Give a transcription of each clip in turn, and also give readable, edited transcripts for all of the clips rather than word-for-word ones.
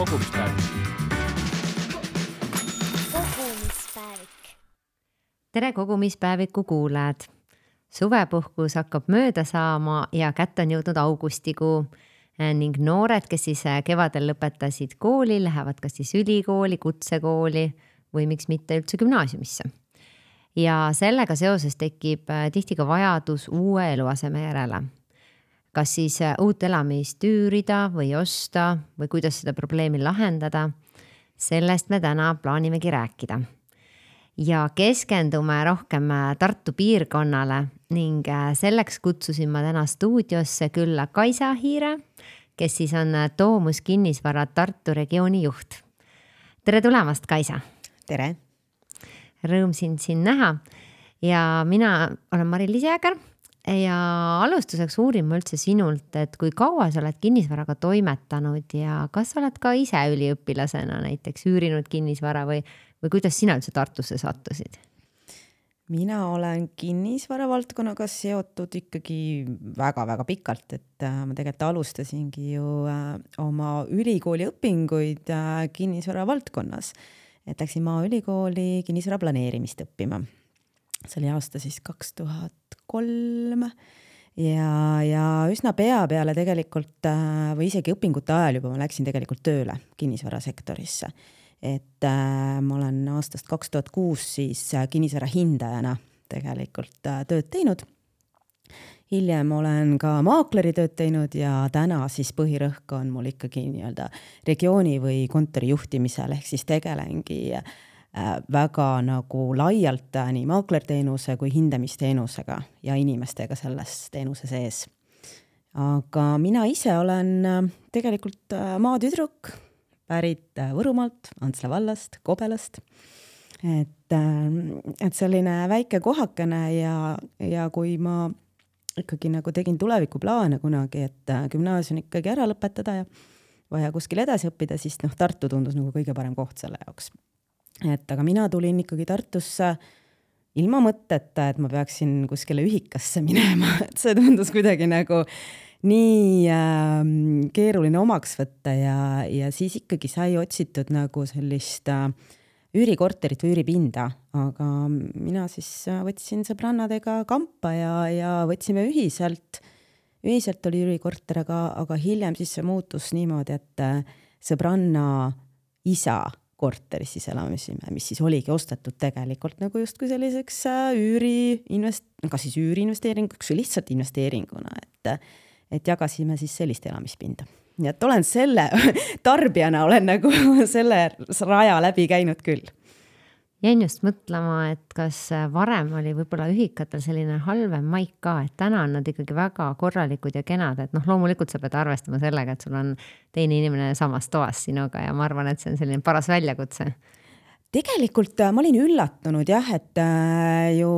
kogumispäevik. Tere kogumispäeviku kuulajad! Suvepuhkus hakkab mööda saama ja kätte on jõudnud augustikuu ning noored, kes siis kevadel lõpetasid kooli, lähevad kas siis ülikooli, kutsekooli või miks mitte üldse gümnaasiumisse. Ja sellega seoses tekib tihti ka vajadus uue eluaseme järele. Kas siis uut elamist üürida või osta või kuidas seda probleemi lahendada, sellest me täna plaanimegi rääkida. Ja keskendume rohkem Tartu piirkonnale ning selleks kutsusin ma täna stuudiosse külla Kaisa Hiire, kes siis on Domus kinnisvara Tartu regiooni juht. Tere tulemast, Kaisa! Tere! Rõõm sind näha ja mina olen Mari-Liis Jääger ja alustuseks uurin ma üldse sinult, et kui kaua sa oled kinnisvaraga toimetanud ja kas oled ka ise üliõpilasena näiteks üürinud kinnisvara või kuidas sina üldse Tartusse sattusid? Mina olen kinnisvara valdkonnaga seotud ikkagi väga-väga pikalt, et ma tegelikult alustasingi ju oma ülikooli õpinguid kinnisvara valdkonnas. Et läksin Maaülikooli kinnisvara planeerimist õppima. See oli aasta siis 2003 ja üsna pea peale tegelikult või isegi õpingute ajal juba ma läksin tegelikult tööle kinnisvarasektorisse. Et ma olen aastast 2006 siis kinnisvara hindajana tegelikult tööd teinud. Hiljem olen ka maakleri tööd teinud ja täna siis põhirõhk on mul ikkagi nii-öelda regiooni või kontori juhtimisel, ehk siis tegelengi väga nagu laialt nii maaklerteenuse kui hindamisteenusega ja inimestega selles teenuse sees. Aga mina ise olen tegelikult maatüdruk, pärit Võrumaalt, Antsla vallast, Kobelast. Et selline väike kohakene ja kui ma ikkagi nagu tegin tulevikuplaane kunagi, et gümnaasium ikkagi ära lõpetada ja vaja kuskil edasi õppida, siis Tartu tundus nagu kõige parem koht selle jaoks. Et aga mina tulin ikkagi Tartusse ilma mõtteta, et ma peaksin kuskile ühikasse minema, et see tundus kuidagi nagu nii keeruline omaks võtta ja siis ikkagi sai otsitud nagu sellist üürikorterit või üüripinda, aga mina siis võtsin sõbrannadega kampa ja võtsime ühiselt oli üürikorter, aga hiljem siis see muutus niimoodi, et sõbranna isa korteris siis elamisime, mis siis oligi ostetud tegelikult nagu justkui selliseks kas siis üüriinvesteeringuks või lihtsalt investeeringuna, et jagasime siis sellist elamispinda. Nii et olen selle tarbijana olen nagu selle raja läbi käinud küll. Jäin just mõtlema, et kas varem oli võib-olla ühikatel selline halvem maik ka, et täna on nad ikkagi väga korralikud ja kenad, et loomulikult sa pead arvestama sellega, et sul on teine inimene samas toas sinuga ja ma arvan, et see on selline paras väljakutse. Tegelikult ma olin üllatunud jah, et ju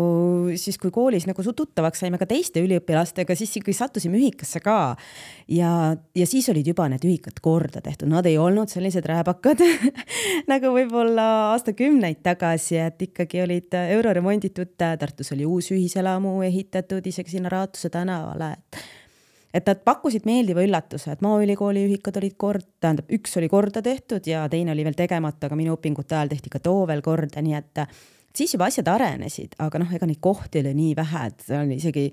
siis kui koolis nagu tuttavaks saime ka teiste üliõpilastega, siis kui sattusime ühikasse ka ja siis olid juba need ühikad korda tehtud. Nad ei olnud sellised rääbakad nagu võib-olla aastakümneid tagasi, et ikkagi olid euroremonditud, Tartus oli uus ühiselamu ehitatud isegi sinna Raatuse tänavale, et nad pakkusid meeldiva üllatuse, et Maaülikooli ühikad olid üks oli korda tehtud ja teine oli veel tegemata, aga minu õpingute ajal tehti ka too veel korda, nii et siis juba asjad arenesid, aga ega neid kohti oli nii vähe, et see oli isegi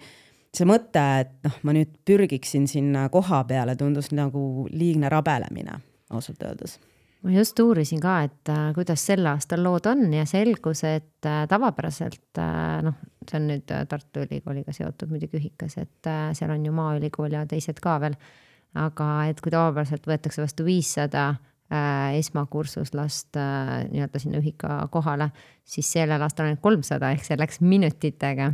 see mõte, et ma nüüd pürgiksin sinna koha peale, tundus nagu liigne rabelemine, ausalt öeldes. Ma just uurisin ka, et kuidas sel aastal lood on ja selgus, et tavapäraselt, see on nüüd Tartu Ülikooliga seotud muidugi ühikas, et seal on ju Maaülikool ja teised ka veel, aga et kui tavapäraselt võetakse vastu 500 esmakursuslast nii-öelda sinna ühika kohale, siis sellel aastal on 300 ehk see läks minutitega.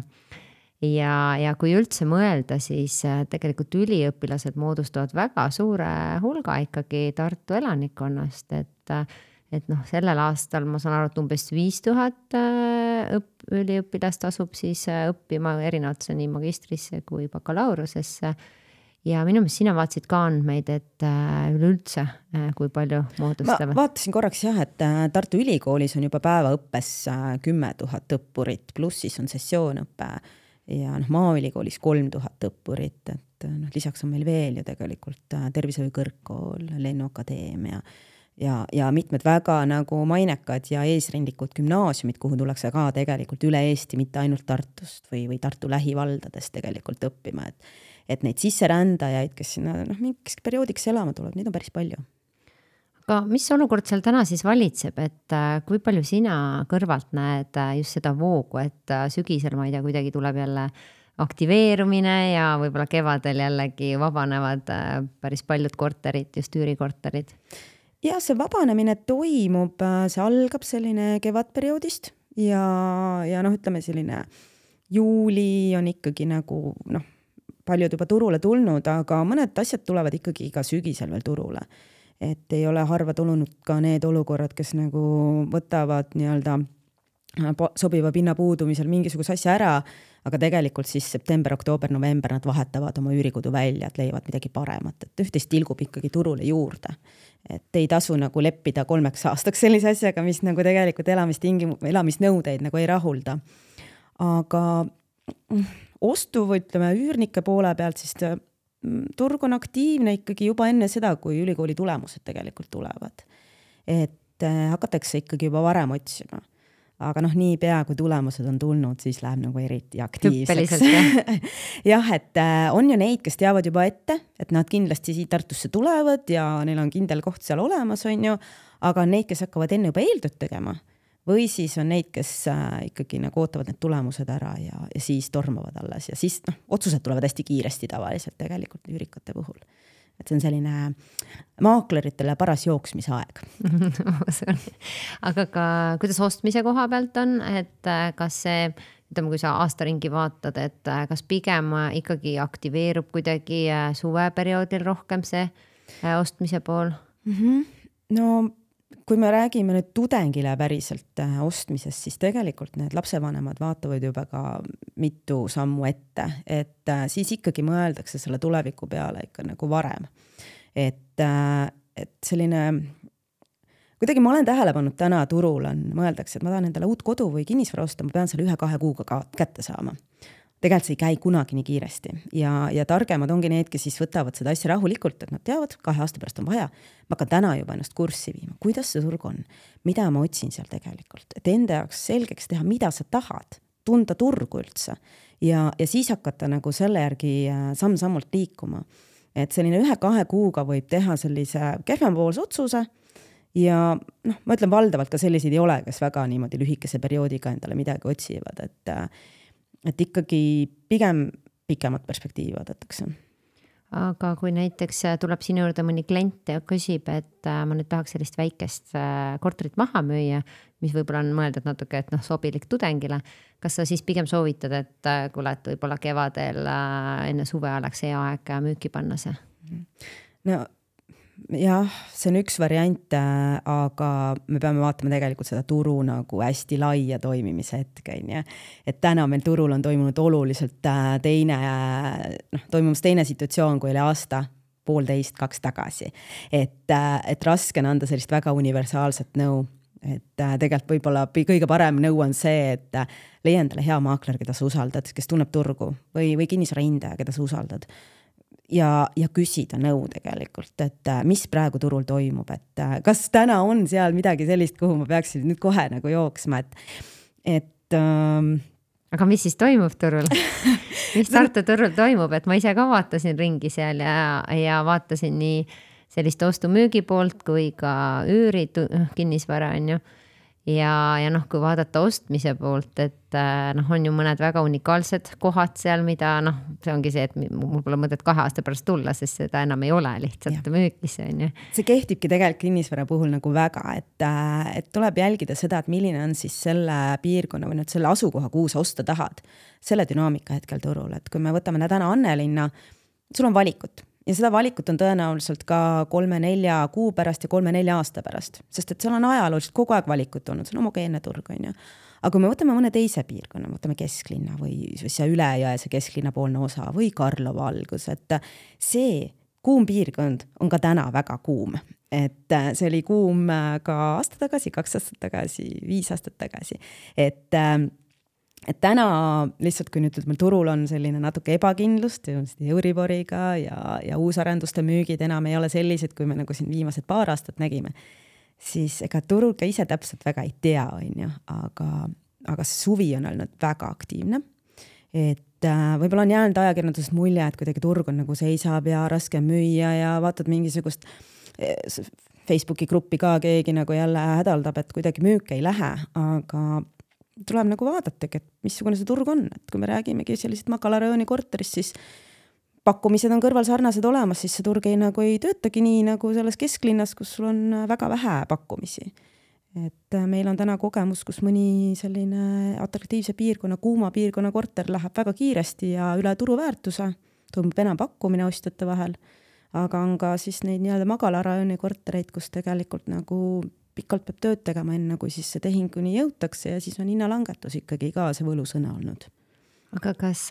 Ja kui üldse mõelda, siis tegelikult üliõpilased moodustavad väga suure hulga ikkagi Tartu elanikkonnast, et sellel aastal ma saan aru, et umbes 5000 üliõpilast asub siis õppima erinevatesse nii magistrisse kui bakalaureusesse ja minu meelest sina vaatasid ka andmeid, et üleüldse kui palju moodustavad. Ma vaatasin korraks jah, et Tartu Ülikoolis on juba päevaõppes 10 000 õppurit, pluss siis on sessioonõppe ja Maaülikoolis 3000 õppurit, et lisaks on meil veel ju tegelikult tervishoiukõrgkool, lennuakadeemia ja mitmed väga nagu mainekad ja eesrindlikud gümnaasiumid, kuhu tullakse ka tegelikult üle Eesti, mitte ainult Tartust või Tartu lähivaldadest tegelikult õppima, et neid sisserändajaid, kes sinna mingiks perioodiks elama tuleb, neid on päris palju. Aga mis olukord seal täna siis valitseb, et kui palju sina kõrvalt näed just seda voogu, et sügisel, ma ei tea, kuidagi tuleb jälle aktiveerumine ja võib-olla kevadel jällegi vabanevad päris paljud korterid, just üürikorterid? Ja see vabanemine toimub, see algab selline kevadperioodist ja ütleme selline juuli on ikkagi nagu paljud juba turule tulnud, aga mõned asjad tulevad ikkagi ka sügisel veel turule. Et ei ole harva tulnud ka need olukorrad, kes nagu võtavad nii-öelda sobiva pinna puudumisel mingisuguse asja ära, aga tegelikult siis september, oktoober, november nad vahetavad oma üürikodu välja, et leiavad midagi paremat, et üht-teist tilgub ikkagi turule juurde. Et ei tasu nagu leppida 3 aastaks sellise asjaga, mis nagu tegelikult elamisnõudeid nagu ei rahulda. Aga ostu või ütleme üürnike poole pealt siis turg on aktiivne ikkagi juba enne seda, kui ülikooli tulemused tegelikult tulevad. Et hakatakse ikkagi juba varem otsima. Aga niipea, kui tulemused on tulnud, siis läheb nagu eriti aktiivseks. Jah, et on ju neid, kes teavad juba ette, et nad kindlasti siit Tartusse tulevad ja neil on kindel koht seal olemas, on ju, aga on neid, kes hakkavad enne juba eeltööd tegema. Või siis on neid, kes ikkagi nagu ootavad need tulemused ära ja siis tormavad alles ja siis otsused tulevad hästi kiiresti tavaliselt tegelikult üürikate puhul. Et see on selline maakleritele paras jooksmisaeg. Aga ka kuidas ostmise koha pealt on, et kas see, ütleme, kui sa aastaringi vaatad, et kas pigem ikkagi aktiveerub kuidagi suveperioodil rohkem see ostmise pool? No kui me räägime nüüd tudengile päriselt ostmisest, siis tegelikult need lapsevanemad vaatavad juba ka mitu sammu ette, et siis ikkagi mõeldakse selle tuleviku peale ikka nagu varem. Et selline, kuidagi ma olen tähele pannud täna turul on, mõeldakse, et ma tahan endale uut kodu või kinnisvara osta, ma pean selle 1-2 kuuga kätte saama. Tegelikult see ei käi kunagi nii kiiresti ja targemad ongi need, kes siis võtavad seda asja rahulikult, et nad teavad, 2 aasta pärast on vaja. Ma hakkan täna juba ennast kurssi viima, kuidas see turg on, mida ma otsin seal tegelikult, et enda jaoks selgeks teha, mida sa tahad, tunda turgu üldse ja siis hakata nagu selle järgi samm-sammult liikuma. Et selline 1-2 kuuga võib teha sellise kehvempoolse otsuse ja ma ütlen valdavalt ka selliseid ei ole, kes väga niimoodi lühikese perioodiga endale midagi otsivad, et ikkagi pigem pikemat perspektiivi vaadatakse. Aga kui näiteks tuleb sinu juurde mõni klient ja küsib, et ma nüüd tahaks sellist väikest korterit maha müüa, mis võib-olla on mõeldud natuke, et sobilik tudengile, kas sa siis pigem soovitad, et kuule, et võib-olla kevadel enne suve oleks hea aeg müüki panna see? No jah, see on üks variant, aga me peame vaatama tegelikult seda turu nagu hästi laia toimimise hetke. Et täna meil turul on toimunud oluliselt toimumas teine situatsioon, kui oli aasta, 1,5–2 tagasi. Et raske on anda sellist väga universaalset nõu. Et tegelikult võib-olla kõige parem nõu on see, et leia endale hea maakler, keda sa usaldad, kes tunneb turgu või kinnisvara hindaja, keda sa usaldad. Ja küsida nõu tegelikult, et mis praegu turul toimub, et kas täna on seal midagi sellist, kuhu ma peaksin nüüd kohe nagu jooksma, Aga mis siis toimub turul? Mis Tartu turul toimub, et ma ise ka vaatasin ringi seal ja vaatasin nii sellist ostu-müügi poolt kui ka üüri kinnisvara on ju. Ja kui vaadata ostmise poolt, et on ju mõned väga unikaalsed kohad seal, mida see ongi see, et mul pole mõtet 2 aasta pärast tulla, sest seda enam ei ole lihtsalt müükis on ju. See kehtibki tegelikult kinnisvara puhul nagu väga, et tuleb jälgida seda, et milline on siis selle piirkonna või nüüd selle asukoha, kuhu sa osta tahad, selle dünaamika hetkel turul, et kui me võtame täna Annelinna, sul on valikut. Ja seda valikut on tõenäoliselt ka 3-4 kuu pärast ja 3-4 aasta pärast, sest et seal on ajalooliselt kogu aeg valikut olnud, see on homogeenne turg on ju. Aga kui me võtame mõne teise piirkonna, võtame kesklinna või see Ülejõese kesklinna poolne osa või Karlova algus, et see kuum piirkond on ka täna väga kuum. Et see oli kuum ka aasta tagasi, 2 aastat tagasi, 5 aastat tagasi. Et täna lihtsalt, kui nüüd meil turul on selline natuke ebakindlust Euriboriga ja uusarenduste müügid enam ei ole sellised, kui me nagu siin viimased 2 aastat nägime, siis ega turul ka ise täpselt väga ei tea, on ju, aga suvi on olnud väga aktiivne. Et võib-olla on jäänud ajakirjandusest mulje, et kuidagi turg on nagu seisab ja raske müüa ja vaatad mingisugust Facebooki gruppi ka keegi nagu jälle hädaldab, et kuidagi müük ei lähe, aga tuleb nagu vaadata, et missugune see turg on, et kui me räägimegi sellised Makala rajooni korterist, siis pakkumised on kõrval sarnased olemas, siis see turg ei töötagi nii nagu selles kesklinnas, kus sul on väga vähe pakkumisi. Et meil on täna kogemus, kus mõni selline atraktiivse piirkonna, kuuma piirkonna korter läheb väga kiiresti ja üle turuväärtuse, toimub enam pakkumine ostjate vahel, aga on ka siis neid nii-öelda Makala rajooni kortereid, kus tegelikult nagu pikalt peab tööd tegema enne, kui siis see tehinguni jõutakse ja siis on hinnalangetus ikkagi ka see võlusõna olnud. Aga kas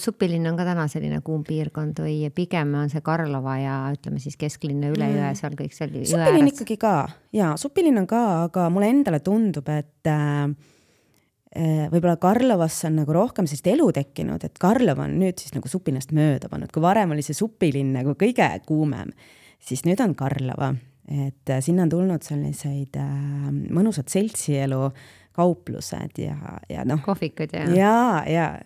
Supilinn on ka täna selline kuum piirkond või pigem on see Karlova ja ütleme siis kesklinna üle jõe, seal kõik seal jõe Supilinn ikkagi ka, jaa, Supilinn on ka, aga mulle endale tundub, et võib-olla Karlovasse on nagu rohkem sellist elu tekkinud, et Karlova on nüüd siis nagu Supinnast mööda pannud, kui varem oli see Supilinn nagu kõige kuumem, siis nüüd on Karlova, et sinna on tulnud selliseid mõnusad seltsielu kauplused ja noh. Kohvikud ja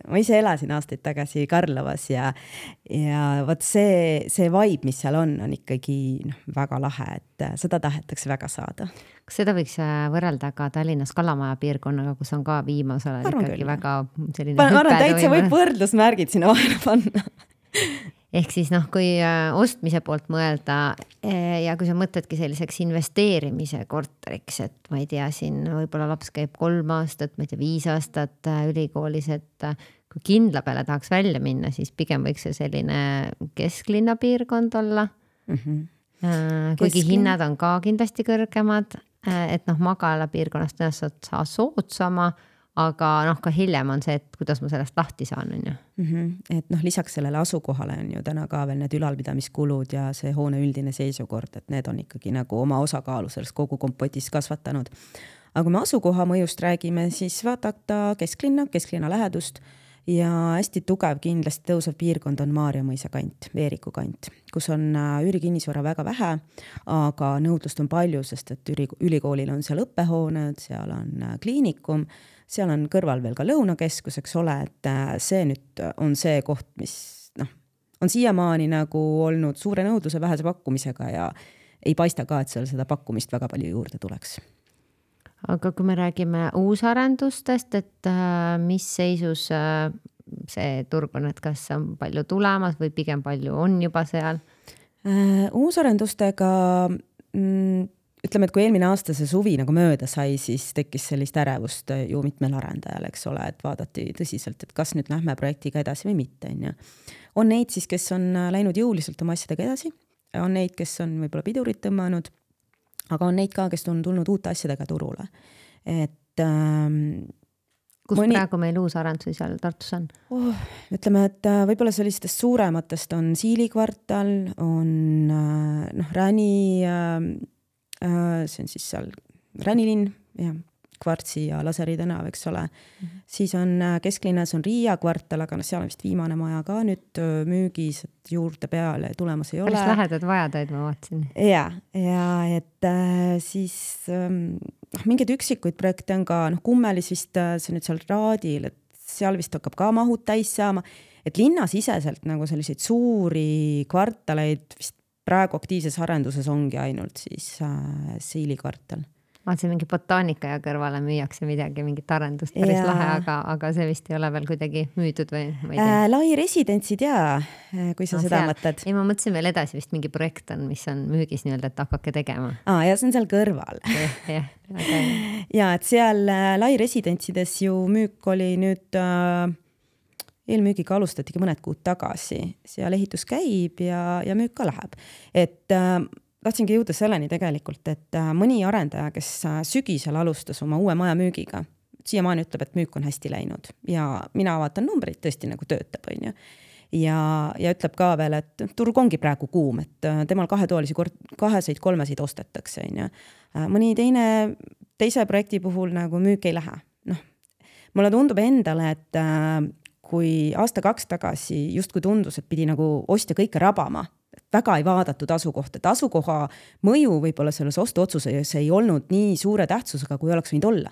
ma ise elasin aastaid tagasi Karlovas ja võt see vibe, mis seal on ikkagi väga lahe, et seda tahetakse väga saada. Kas seda võiks võrrelda ka Tallinnas Kalamaja piirkonnaga, kus on ka viimasel ikkagi väga selline hüpe täitsa võib võrdlusmärgid sinna vahele panna. Ehk siis kui ostmise poolt mõelda ja kui sa mõtledki selliseks investeerimise korteriks, et ma ei tea, siin võib-olla laps käib 3 aastat, ma ei tea, 5 aastat ülikoolis, et kui kindla peale tahaks välja minna, siis pigem võiks see selline kesklinna piirkond olla. Kuigi hinnad on ka kindlasti kõrgemad, et Makala piirkonnast tõenäoliselt saa soodsama, aga ka hiljem on see, et kuidas ma sellest lahti saan, on ju. Et lisaks sellele asukohale on ju täna ka veel need ülalpidamiskulud ja see hoone üldine seisukord, et need on ikkagi nagu oma osakaalu selles kogu kompotis kasvatanud. Aga kui me asukoha mõjust räägime, siis vaadata kesklinna lähedust ja hästi tugev kindlasti tõusev piirkond on Maarja mõisa kant, Veeriku kant, kus on üürikinnisvara väga vähe, aga nõudlust on palju, sest et ülikoolil on seal õppehooned, seal on kliinikum, seal on kõrval veel ka lõunakeskus, eks ole, et see nüüd on see koht, mis on siiamaani nagu olnud suure nõudluse vähese pakkumisega ja ei paista ka, et seal seda pakkumist väga palju juurde tuleks. Aga kui me räägime uusarendustest, et mis seisus see turg on, et kas on palju tulemas või pigem palju on juba seal? Uusarendustega ütleme, et kui eelmine aasta see suvi nagu mööda sai, siis tekkis sellist ärevust ju mitmel arendajal, eks ole, et vaadati tõsiselt, et kas nüüd lähme projektiga edasi või mitte. On neid siis, kes on läinud jõuliselt oma asjadega edasi, on neid, kes on võib-olla pidurit tõmmanud, aga on neid ka, kes on tulnud uute asjadega turule. Et kus praegu meil uusarendusi seal Tartus on? Ütleme, et võib-olla sellistest suurematest on Siili kvartal, on Räni, see on siis seal Ränilinn ja Kvartsi ja Laseri tänav, eks ole. Siis on kesklinnas on Riia kvartal, aga seal on vist viimane maja ka nüüd müügis, et juurde peale tulemas ei ole. Päris lähedad vajadaid ma vaatsin. Ja et siis mingeid üksikuid projekte on ka, Kummelis vist see nüüd seal Raadil, et seal vist hakkab ka mahud täis saama, et linnasiseselt nagu selliseid suuri kvartaleid vist praegu aktiivses arenduses ongi ainult siis Siili kvartal. Vaatsin mingi botaanika ja kõrvale müüakse midagi, mingit arendust päris lahe, aga see vist ei ole veel kuidagi müüdud või ma ei tea. Lai residentsid kui sa seda mõtled. Ei, ma mõtlesin veel edasi vist mingi projekt on, mis on müügis nii-öelda, et hakake tegema. Ja see on seal kõrval. Ja, et seal Lai residentsides ju müük oli nüüd eelmüügiga alustatigi mõned kuud tagasi. Seal ehitus käib ja müük ka läheb. Et tahtsingi jõuda selleni tegelikult, et mõni arendaja, kes sügisel alustas oma uue maja müügiga, siiamaani ütleb, et müük on hästi läinud ja mina vaatan numbreid, tõesti nagu töötab, on ju. Ja ütleb ka veel, et turg ongi praegu kuum, et temal kaheseid, kolmeseid ostetakse, on ju. Mõni teise projekti puhul nagu müük ei lähe. Mulle tundub endale, et kui aasta 2 tagasi just kui tundus, et pidi nagu ostja kõike rabama, väga ei vaadatud asukohta, et asukoha mõju võib-olla selles ostuotsuses ei olnud nii suure tähtsusega, kui oleks võinud olla.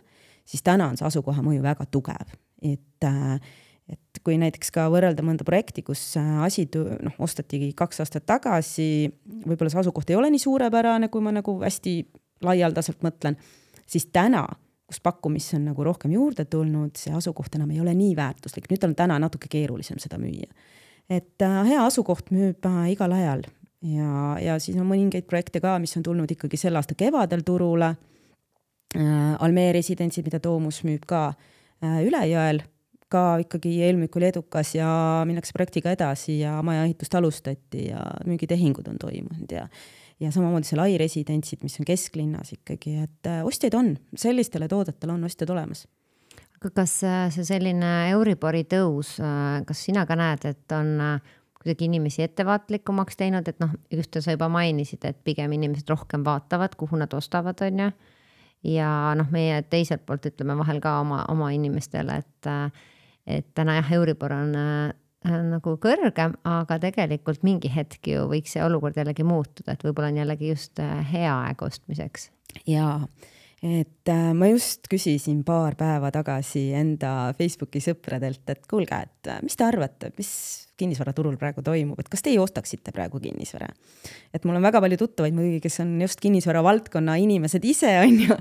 Siis täna on see asukoha mõju väga tugev. Et kui näiteks ka võrrelda mõnda projekti, kus asi ostatigi 2 aastat tagasi, võib-olla see asukoht ei ole nii suurepärane, kui ma nagu hästi laialdaselt mõtlen, siis täna, kus pakkumisse on nagu rohkem juurde tulnud, see asukoht enam ei ole nii väärtuslik. Nüüd on täna natuke keerulisem seda müüa. Et hea asukoht müüb igal ajal ja siis on mõningaid projekte ka, mis on tulnud ikkagi selle aasta kevadel turule. Almee residentsid, mida Toomus müüb ka Ülejõel, ka ikkagi eelmüük oli edukas ja minnakse projektiga edasi ja maja ehitust alustati ja müügitehingud on toimunud ja samamoodi see Lai residentsid, mis on kesklinnas ikkagi, et ostjaid on, sellistele toodetele on ostjad olemas. Aga kas see selline Euribori tõus, kas sina ka näed, et on kuidagi inimesi ettevaatlikumaks teinud, et just sa juba mainisid, et pigem inimesed rohkem vaatavad, kuhu nad ostavad, on ju? Ja meie teiselt poolt ütleme vahel ka oma inimestele, et täna jah, Euribor on nagu kõrgem, aga tegelikult mingi hetk ju võiks see olukord jällegi muutuda, et võib-olla on jällegi just hea aeg ostmiseks. Jaa, et ma just küsisin paar päeva tagasi enda Facebooki sõpradelt, et kuulge, et mis te arvate, mis kinnisvaraturul praegu toimub, et kas teie ostaksite praegu kinnisvara? Et mul on väga palju tuttavaid muidugi, kes on just kinnisvara valdkonna inimesed ise, on ju,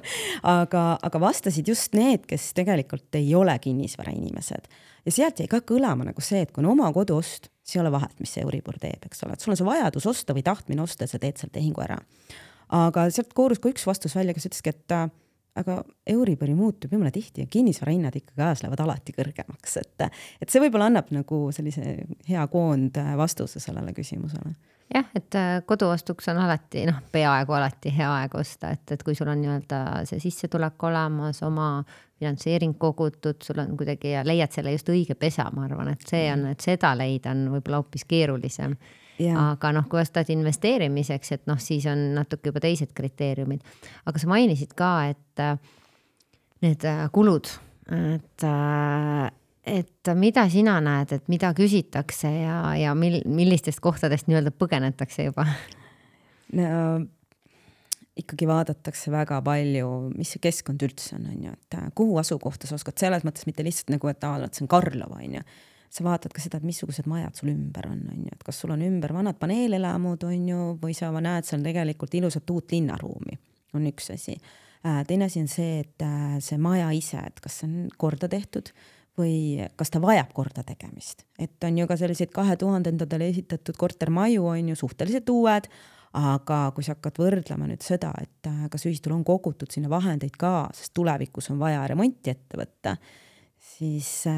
aga vastasid just need, kes tegelikult ei ole kinnisvara inimesed. Ja sealt jäi ka kõlama nagu see, et kui on oma koduost, siis ei ole vahet, mis see Euribor teeb, eks ole, et sul on see vajadus osta või tahtmine osta, sa teed seal tehingu ära. Aga sealt koorus ka üks vastus välja, kes ütleski, et aga Euribori muutub jumala tihti ja kinnisvarahinnad ikkagi ajas lähevad alati kõrgemaks, et see võib-olla annab nagu sellise hea koond vastuse sellele küsimusele. Jah, et koduostuks on alati, peaaegu alati hea aeg osta, et kui sul on nii-öelda see sissetulek olemas, oma finantseering kogutud, sul on kuidagi ja leiad selle just õige pesa, ma arvan, et see on, et seda leida on võib-olla hoopis keerulisem. Ja. Aga kui ostad investeerimiseks, et siis on natuke juba teised kriteeriumid. Aga sa mainisid ka, et need kulud, et mida sina näed, et mida küsitakse ja millistest kohtadest nii-öelda põgenetakse juba? No, ikkagi vaadatakse väga palju, mis see keskkond üldse on, et kuhu asukohta sa oskad, selles mõttes mitte lihtsalt nagu, et see on Karlova, on ju. Sa vaatad ka seda, et missugused majad sul ümber on, et kas sul on ümber vanad paneelelamud, on ju, või sa näed seal tegelikult ilusat uut linnaruumi, on üks asi. Teine asi on see, et see maja ise, et kas see on korda tehtud või kas ta vajab korda tegemist. Et on ju ka selliseid 2000-ndadele esitatud kortermaju, on ju suhteliselt uued, aga kui sa hakkad võrdlema nüüd seda, et kas ühistul on kogutud sinna vahendeid ka, sest tulevikus on vaja remonti ette võtta, siis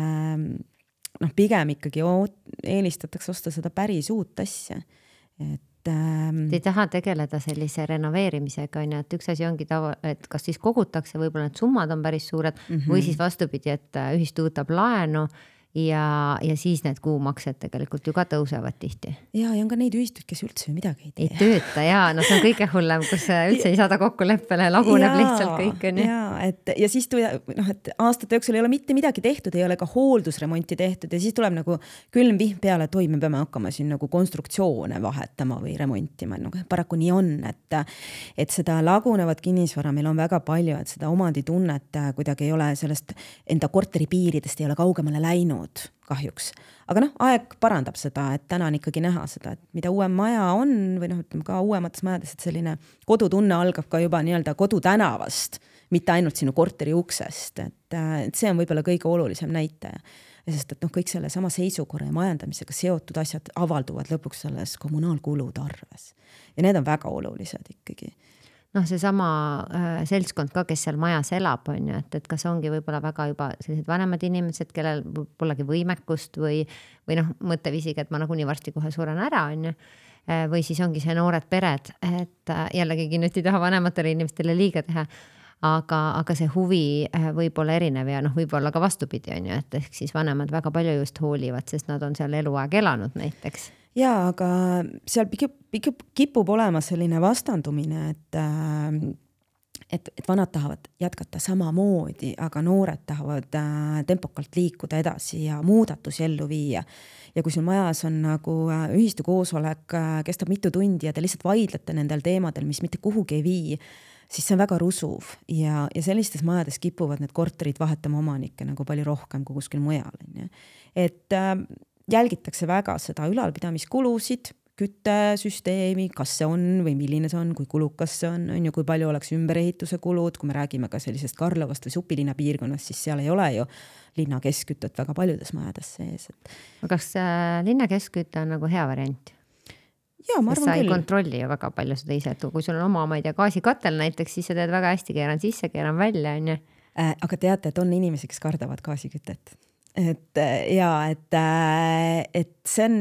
pigem ikkagi eelistatakse osta seda päris uut asja. Te ei taha tegeleda sellise renoveerimisega, et üks asi ongi et kas siis kogutakse, võib-olla need summad on päris suured või siis vastupidi, et ühistu võtab laenu ja siis need kuumaksed tegelikult ju ka tõusevad tihti. Ja on ka neid ühistuid, kes üldse midagi ei tee. Ei tööta, see on kõige hullem, kus üldse ei saada kokkuleppele, laguneb lihtsalt kõik. Ja siis et aastate jooksul ei ole mitte midagi tehtud, ei ole ka hooldusremonti tehtud ja siis tuleb nagu külm vihm peale, et me peame hakkama siin nagu konstruktsioone vahetama või remontima. Paraku nii on, et seda lagunevat kinnisvara meil on väga palju, et seda omanditunnet kuidagi ei ole sellest enda korteri piiridest ei ole kaugemale läinud kahjuks. Aga aeg parandab seda, et täna on ikkagi näha seda, et mida uuem maja on või ütleme ka uuemates majades, et selline kodutunne algab ka juba nii-öelda kodutänavast, mitte ainult sinu korteri uksest, et see on võib-olla kõige olulisem näitaja. Sest et kõik selle sama seisukorra ja majandamisega seotud asjad avalduvad lõpuks selles kommunaalkulude arves. Ja need on väga olulised ikkagi. See sama seltskond ka, kes seal majas elab, on ju, et kas ongi võib-olla väga juba sellised vanemad inimesed, kellel polegi võimekust või mõtteviisiga, et ma nagunii varsti kohe suren ära, on ju. Või siis ongi see noored pered, et jällegi nüüd ei taha vanematele inimestele liiga teha, aga see huvi võib olla erinev ja võib olla ka vastupidi, on ju, et ehk siis vanemad väga palju just hoolivad, sest nad on seal eluaeg elanud näiteks. Jaa, aga seal kipub olema selline vastandumine, et vanad tahavad jätkata samamoodi, aga noored tahavad tempokalt liikuda edasi ja muudatusi ellu viia. Ja kui sul majas on nagu ühistu koosolek, kestab mitu tundi ja te lihtsalt vaidlete nendel teemadel, mis mitte kuhugi ei vii, siis see on väga rusuv ja sellistes majades kipuvad need korterid vahetama omanikke nagu palju rohkem kui kuskil mujal. Et jälgitakse väga seda ülalpidamiskulusid, küttesüsteemi, kas see on või milline see on, kui kulukas see on ju, kui palju oleks ümberehituse kulud, kui me räägime ka sellisest Karlovast või Supilinna piirkonnast, siis seal ei ole ju linna keskkütet väga paljudes majades sees. Kas linna keskküte on nagu hea variant? Jaa, ma arvan sa ei küll. Kontrolli ju väga palju seda ise, et kui sul on oma, ma ei tea, gaasikatel näiteks, siis sa teed väga hästi, keeran sisse, keeran välja, on ju. Aga teate, et on inimesi, kes kardavad gaasikütet. Et see on...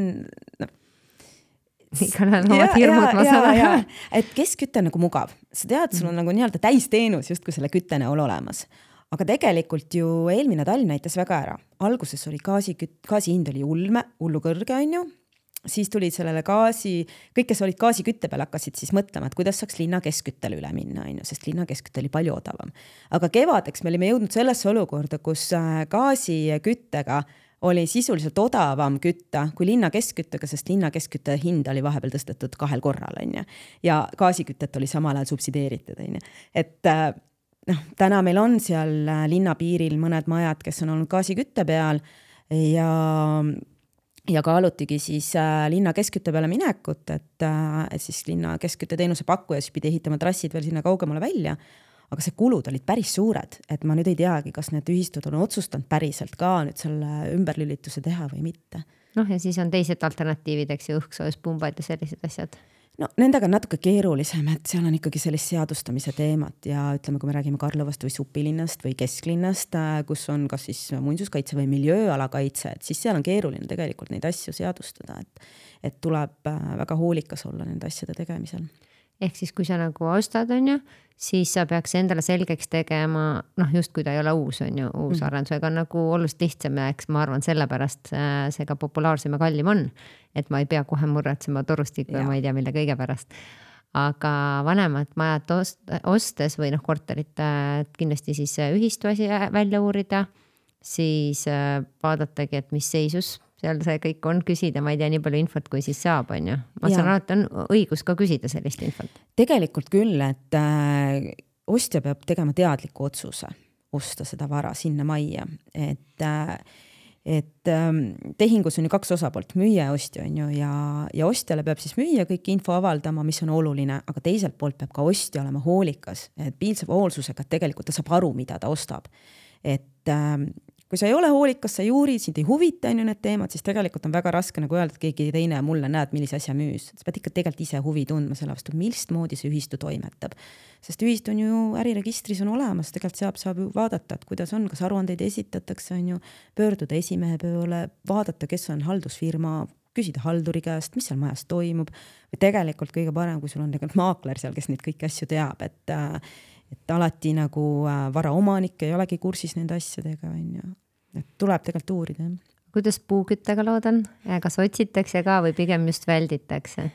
No, igal on omad hirmud, ma saan. Et keskküte on nagu mugav. Sa tead, sul on nagu nii-öelda täisteenus just kui selle kütte näol olemas. Aga tegelikult ju eelmine talv näitas väga ära. Alguses oli gaasi hind oli hullu kõrge, on ju. Siis tulid sellele kõik, kes olid gaasikütte peal, hakkasid siis mõtlema, et kuidas saaks linna keskküttele üle minna, on ju, sest linna keskkütte oli palju odavam. Aga kevadeks me olime jõudnud sellesse olukorda, kus gaasiküttega oli sisuliselt odavam kütta kui linna keskküttega, sest linna keskkütte hind oli vahepeal tõstetud 2 korral, on ju. Ja gaasikütet oli samal ajal subsideeritud, on ju. Et täna meil on seal linna piiril mõned majad, kes on olnud gaasikütte peal ja kaalutigi siis linna keskkütte peale minekut, et siis linna keskkütte teenuse pakkuja siis pidi ehitama trassid veel sinna kaugemale välja. Aga see kulud olid päris suured, et ma nüüd ei teagi, kas need ühistud on otsustanud päriselt ka nüüd selle ümberlülituse teha või mitte. Ja siis on teised alternatiivid, eks ju, õhksoojuspunbad ja sellised asjad. No nendega on natuke keerulisem, et seal on ikkagi sellist seadustamise teemat ja ütleme, kui me räägime Karlovast või Supilinnast või Kesklinnast, kus on kas siis muinsuskaitse või miljööalakaitse, et siis seal on keeruline tegelikult neid asju seadustada, et tuleb väga hoolikas olla nende asjade tegemisel. Ehk siis, kui sa nagu ostad, on ju, siis sa peaks endale selgeks tegema, just kui ta ei ole uus, on ju, uus arendusega on nagu oluliselt lihtsam ja eks ma arvan, sellepärast see ka populaarsem ja kallim on, et ma ei pea kohe murratsema torustiku ja ma ei tea, mille kõige pärast. Aga vanemad majad ostes või korterit kindlasti siis ühistu asi välja uurida, siis vaadatagi, et mis seisus seal see kõik on, küsida, ma ei tea nii palju infot, kui siis saab, on ju. Ma saan aru, et on õigus ka küsida sellist infot. Tegelikult küll, et ostja peab tegema teadliku otsuse osta seda vara sinna majja, et tehingus on ju 2 osapoolt, müüja ja ostja, on ju, ja ostjale peab siis müüja kõik info avaldama, mis on oluline, aga teiselt poolt peab ka ostja olema hoolikas, et piilseva hoolsusega, et tegelikult ta saab aru, mida ta ostab. Et kui sa ei ole hoolikas, sa ei uuri, sind ei huvita need teemad, siis tegelikult on väga raske nagu öelda, et keegi teine mulle näed, millise asja müüs. Sa pead ikka tegelikult ise huvi tundma selle vastu, millist moodi see ühistu toimetab. Sest ühistu on ju äriregistris on olemas, tegelikult saab ju vaadata, et kuidas on, kas aruandeid esitatakse, on ju, pöörduda esimehe poole, vaadata, kes on haldusfirma, küsida halduri käest, mis seal majas toimub. Või tegelikult kõige parem, kui sul on tegelikult maakler seal, kes neid kõiki asju teab, et alati nagu vara omanik ei olegi kursis nende asjadega, on ju. Et tuleb tegelikult uurida. Kuidas puuküttega lood on? Kas otsitakse ka või pigem just välditakse?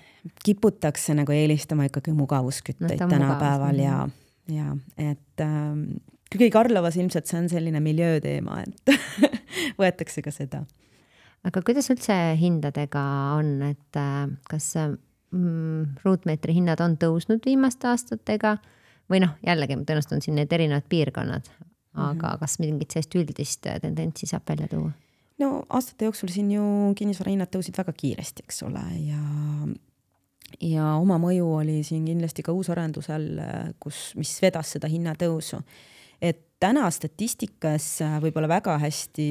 Kiputakse nagu eelistama ikkagi mugavuskütteid tänapäeval ja et kõige Karlovas ilmselt see on selline miljööteema, et võetakse ka seda. Aga kuidas üldse hindadega on, et kas ruutmeetri hinnad on tõusnud viimaste aastatega? Või jällegi tõenäoliselt on siin need erinevad piirkonnad, aga kas mingit sellist üldist tendentsi saab välja tuua? No aastate jooksul siin ju kinnisvarahinnad tõusid väga kiiresti, eks ole, ja oma mõju oli siin kindlasti ka uusarendusel, mis vedas seda hinnatõusu. Et täna statistikas võib-olla väga hästi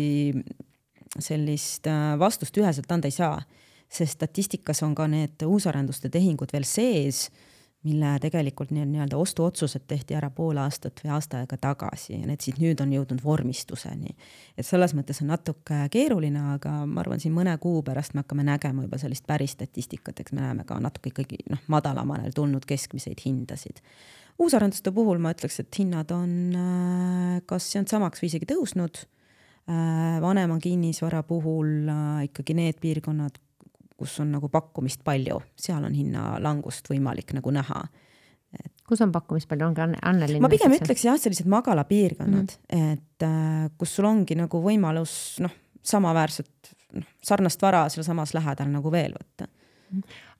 sellist vastust üheselt anda ei saa, sest statistikas on ka need uusarenduste tehingud veel sees, mille tegelikult nii-öelda ostuotsused tehti ära pool aastat või aasta aega tagasi ja need siis nüüd on jõudnud vormistuseni. Et selles mõttes on natuke keeruline, aga ma arvan, siin mõne kuu pärast me hakkame nägema juba sellist päris statistikat, eks me näeme ka natuke ikkagi madalamanel tulnud keskmiseid hindasid. Uusarenduste puhul ma ütleks, et hinnad on kas see on samaks või isegi tõusnud. Vanema kinnisvara puhul ikkagi need piirkonnad, kus on nagu pakkumist palju, seal on hinna langust võimalik nagu näha. Kus on pakkumist palju, ongi Annelinn? Ma pigem ütleks jah, sellised magala piirkonnad, et kus sul ongi nagu võimalus samaväärselt sarnast vara seal samas lähedal nagu veel võtta.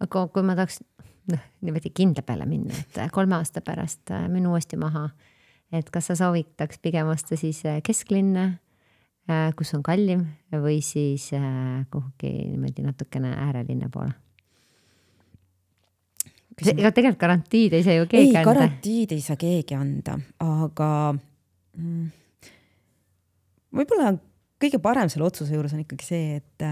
Aga kui ma tahaks niimoodi kindla peale minna, et 3 aasta pärast minu uuesti maha, et kas sa soovitaks pigem osta siis kesklinna, kus on kallim või siis kuhugi niimoodi natukene äärelinna poole? Ega tegelikult garantiid ei saa ju keegi anda. Garantiid ei saa keegi anda, aga võib-olla kõige parem selle otsuse juures on ikkagi see, et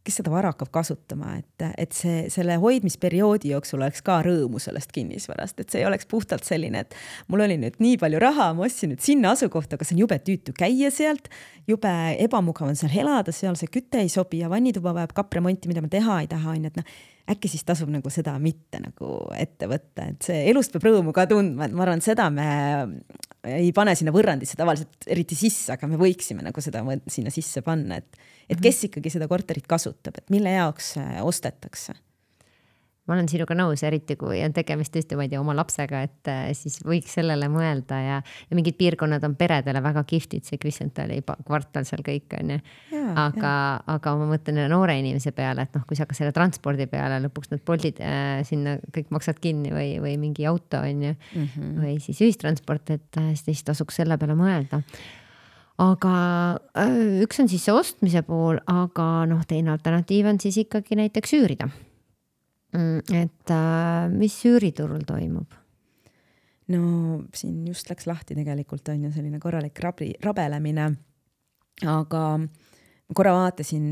kes seda vara hakkab kasutama, et selle hoidmisperioodi jooksul oleks ka rõõmu sellest kinnisvarast, et see ei oleks puhtalt selline, et mul oli nüüd nii palju raha, ma ostsin nüüd sinna asukohta, aga see on jube tüütu käia sealt, jube ebamugav on seal elada, seal see küte ei sobi ja vannituba vajab kapremonti, mida ma teha ei taha, et äkki siis tasub nagu seda mitte nagu ette võtta, et see elust peab rõõmu ka tundma, et ma arvan, seda me ei pane sinna võrrandisse tavaliselt eriti sisse, aga me võiksime nagu seda sinna sisse panna, et kes ikkagi seda korterit kasutab, et mille jaoks ostetakse. Ma olen sinuga nõus, eriti kui on tegemist tõesti, ma ei tea, oma lapsega, et siis võiks sellele mõelda ja mingid piirkonnad on peredele väga kihvtid, see Kristentali kvartal seal kõik on ju. Aga ma mõtlen noore inimese peale, et kui sa hakkad selle transpordi peale, lõpuks need Boltid sinna kõik maksad kinni või mingi auto on ju, või siis ühistransport, et siis tasuks selle peale mõelda. Aga üks on siis see ostmise pool, aga teine alternatiiv on siis ikkagi näiteks üürida. Et mis üüriturul toimub? No siin just läks lahti tegelikult on ju selline korralik rabelemine, aga korra vaatasin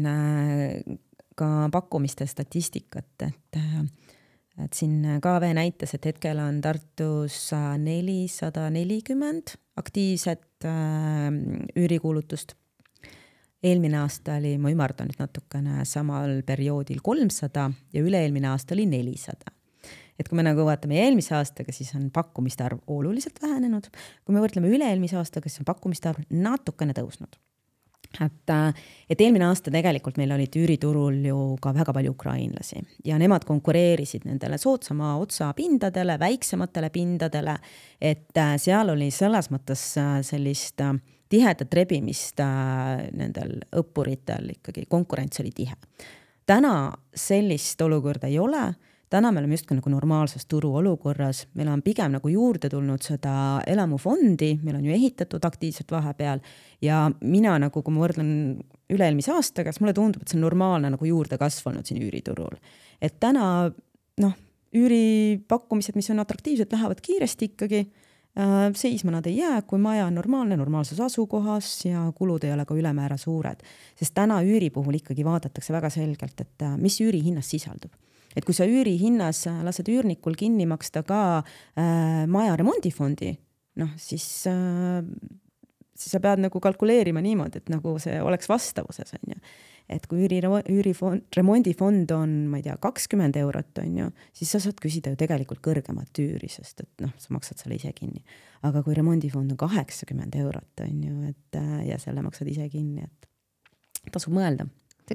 ka pakkumiste statistikat, et siin KV näitas, et hetkel on Tartus 440 aktiivset üürikuulutust. Eelmine aasta oli, ma ümardan nüüd natukene samal perioodil 300 ja üle-eelmine aasta oli 400. Et kui me nagu vaatame eelmise aastaga, siis on pakkumiste arv oluliselt vähenenud. Kui me võrdleme üle-eelmise aastaga, siis on pakkumiste arv natukene tõusnud. Et eelmine aasta tegelikult meil olid üüriturul ju ka väga palju ukrainlasi ja nemad konkureerisid nendele soodsama otsa pindadele, väiksematele pindadele, et seal oli selles mõttes sellist tihedat rebimist nendel õppuritel ikkagi, konkurents oli tihe. Täna sellist olukorda ei ole, täna me oleme just nagu normaalses turu olukorras, meil on pigem nagu juurde tulnud seda elamufondi, meil on ju ehitatud aktiivselt vahepeal ja mina nagu, kui ma võrdlen üle-eelmise aastaga, mulle tundub, et see on normaalne nagu juurde kasvanud siin üüriturul. Et täna üüripakkumised, mis on atraktiivsed, lähevad kiiresti ikkagi, seisma nad ei jää, kui maja on normaalses asukohas ja kulud ei ole ka ülemäära suured. Sest täna üüri puhul ikkagi vaadatakse väga selgelt, et mis üüri hinnas sisaldub. Et kui sa üüri hinnas lased üürnikul kinni maksta ka maja remondifondi, siis sa pead nagu kalkuleerima niimoodi, et nagu see oleks vastavuses on ju. Et kui remondifond on, ma ei tea, 20 eurot on ju, siis sa saad küsida ju tegelikult kõrgemat üüri, sest et sa maksad selle ise kinni. Aga kui remondifond on 80 eurot on ju, ja selle maksad ise kinni, et tasub mõelda.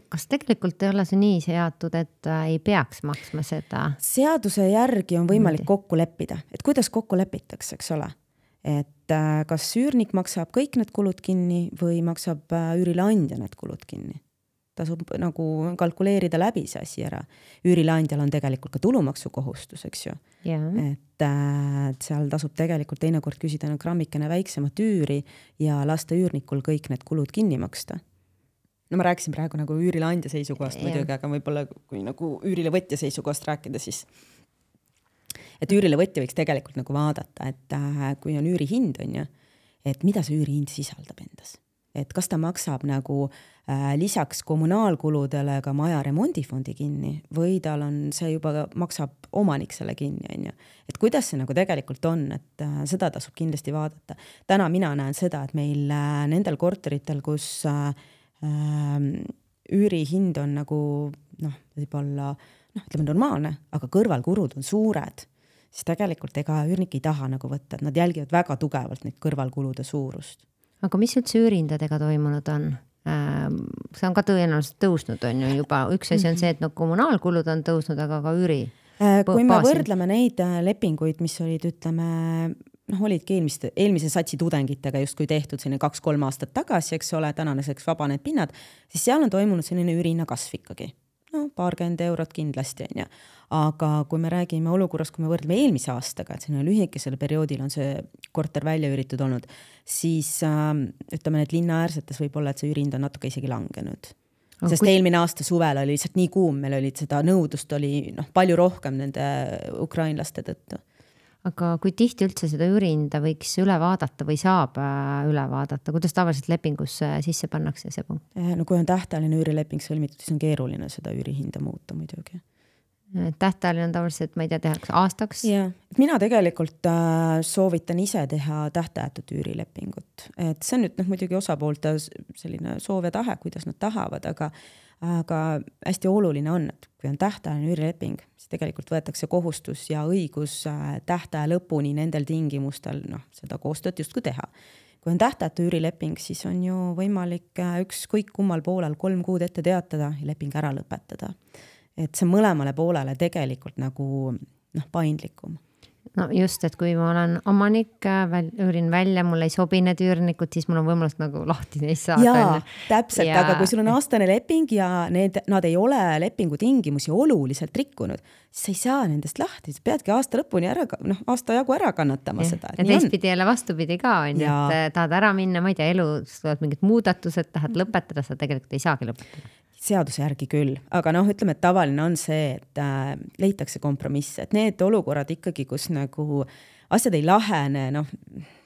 Kas tegelikult ei ole see nii seatud, et ei peaks maksma seda? Seaduse järgi on võimalik kokku leppida, et kuidas kokku lepitakse, eks ole? Et kas üürnik maksab kõik need kulud kinni või maksab üürileandja need kulud kinni? Tasub nagu kalkuleerida läbi see asi ära. Üürileandjal on tegelikult ka tulumaksukohustus, eks ju. Et seal tasub tegelikult teinekord küsida grammikene väiksemat üüri ja lasta üürnikul kõik need kulud kinni maksta. No ma rääkisin praegu nagu üürileandja seisukohast muidugi, aga võib-olla kui nagu üürilevõtja seisukohast rääkida, siis et üürilevõtja võiks tegelikult nagu vaadata, et kui on üürihind on ju, et mida see üürihind sisaldab endas. Et kas ta maksab nagu lisaks kommunaalkuludele ka maja remondifondi kinni või tal on see juba maksab omanik selle kinni on ju. Et kuidas see nagu tegelikult on, et seda tasub kindlasti vaadata. Täna mina näen seda, et meil nendel korteritel, kus üürihind on nagu võib-olla ütleme normaalne, aga kõrvalkulud on suured, siis tegelikult ega üürnik ei taha nagu võtta, et nad jälgivad väga tugevalt neid kõrvalkulude suurust. Aga mis üldse üürindadega toimunud on? See on ka tõenäoliselt tõusnud on ju juba. Üks asi on see, et kommunaalkulud on tõusnud, aga ka üüri. Kui me võrdleme neid lepinguid, mis olid, ütleme, olidki eelmise satsi tudengitega justkui tehtud selline 2-3 aastat tagasi, eks ole, tänaseks vabanenud pinnad, siis seal on toimunud selline ürina kasv ikkagi. Paarkümmend eurot kindlasti on ja. Aga kui me räägime olukorras, kui me võrdleme eelmise aastaga, et selline lühikesel perioodil on see korter välja üüritud olnud, siis ütleme, et linnaäärsetes võib olla, et see üürind on natuke isegi langenud. Sest eelmine aasta suvel oli lihtsalt nii kuum, meil oli seda nõudlust oli palju rohkem nende ukrainlaste tõttu. Aga kui tihti üldse seda üürinda võiks üle vaadata või saab üle vaadata? Kuidas tavaliselt lepingusse sisse pannakse see punkt? No kui on tähtajaline üürileping sõlmitud, siis on keeruline seda üürihinda muuta muidugi. Tähtajaline on tavaliselt, ma ei tea, tehakse aastaks? Ja. Mina tegelikult soovitan ise teha tähtajatut üürilepingut. Et see on nüüd muidugi osapoolte selline soov ja tahe, kuidas nad tahavad, aga hästi oluline on, et kui on tähtajaline üürileping, siis tegelikult võetakse kohustus ja õigus tähtaja lõpuni nendel tingimustel seda koostööd justkui teha. Kui on tähtajatu üürileping, siis on ju võimalik ükskõik kummal poolel 3 kuud ette teatada ja leping ära lõpetada. Et see mõlemale poolele tegelikult nagu paindlikum. No just, et kui ma olen omanik, üürin välja, mul ei sobi need üürnikud, siis mul on võimalus nagu lahti neist saada. Jaa, täpselt, aga kui sul on aastane leping ja nad ei ole lepingu tingimusi oluliselt rikkunud, siis ei saa nendest lahti, peadki aasta lõpuni aasta jagu ära kannatama seda. Ja teistpidi jälle vastupidi ka on, et tahad ära minna, ma ei tea, elus tulevad mingid muudatused, tahad lõpetada, sa tegelikult ei saagi lõpetada. Seaduse järgi küll, aga ütleme, et tavaline on see, et leitakse kompromiss, et need olukorrad ikkagi, kus nagu asjad ei lahene,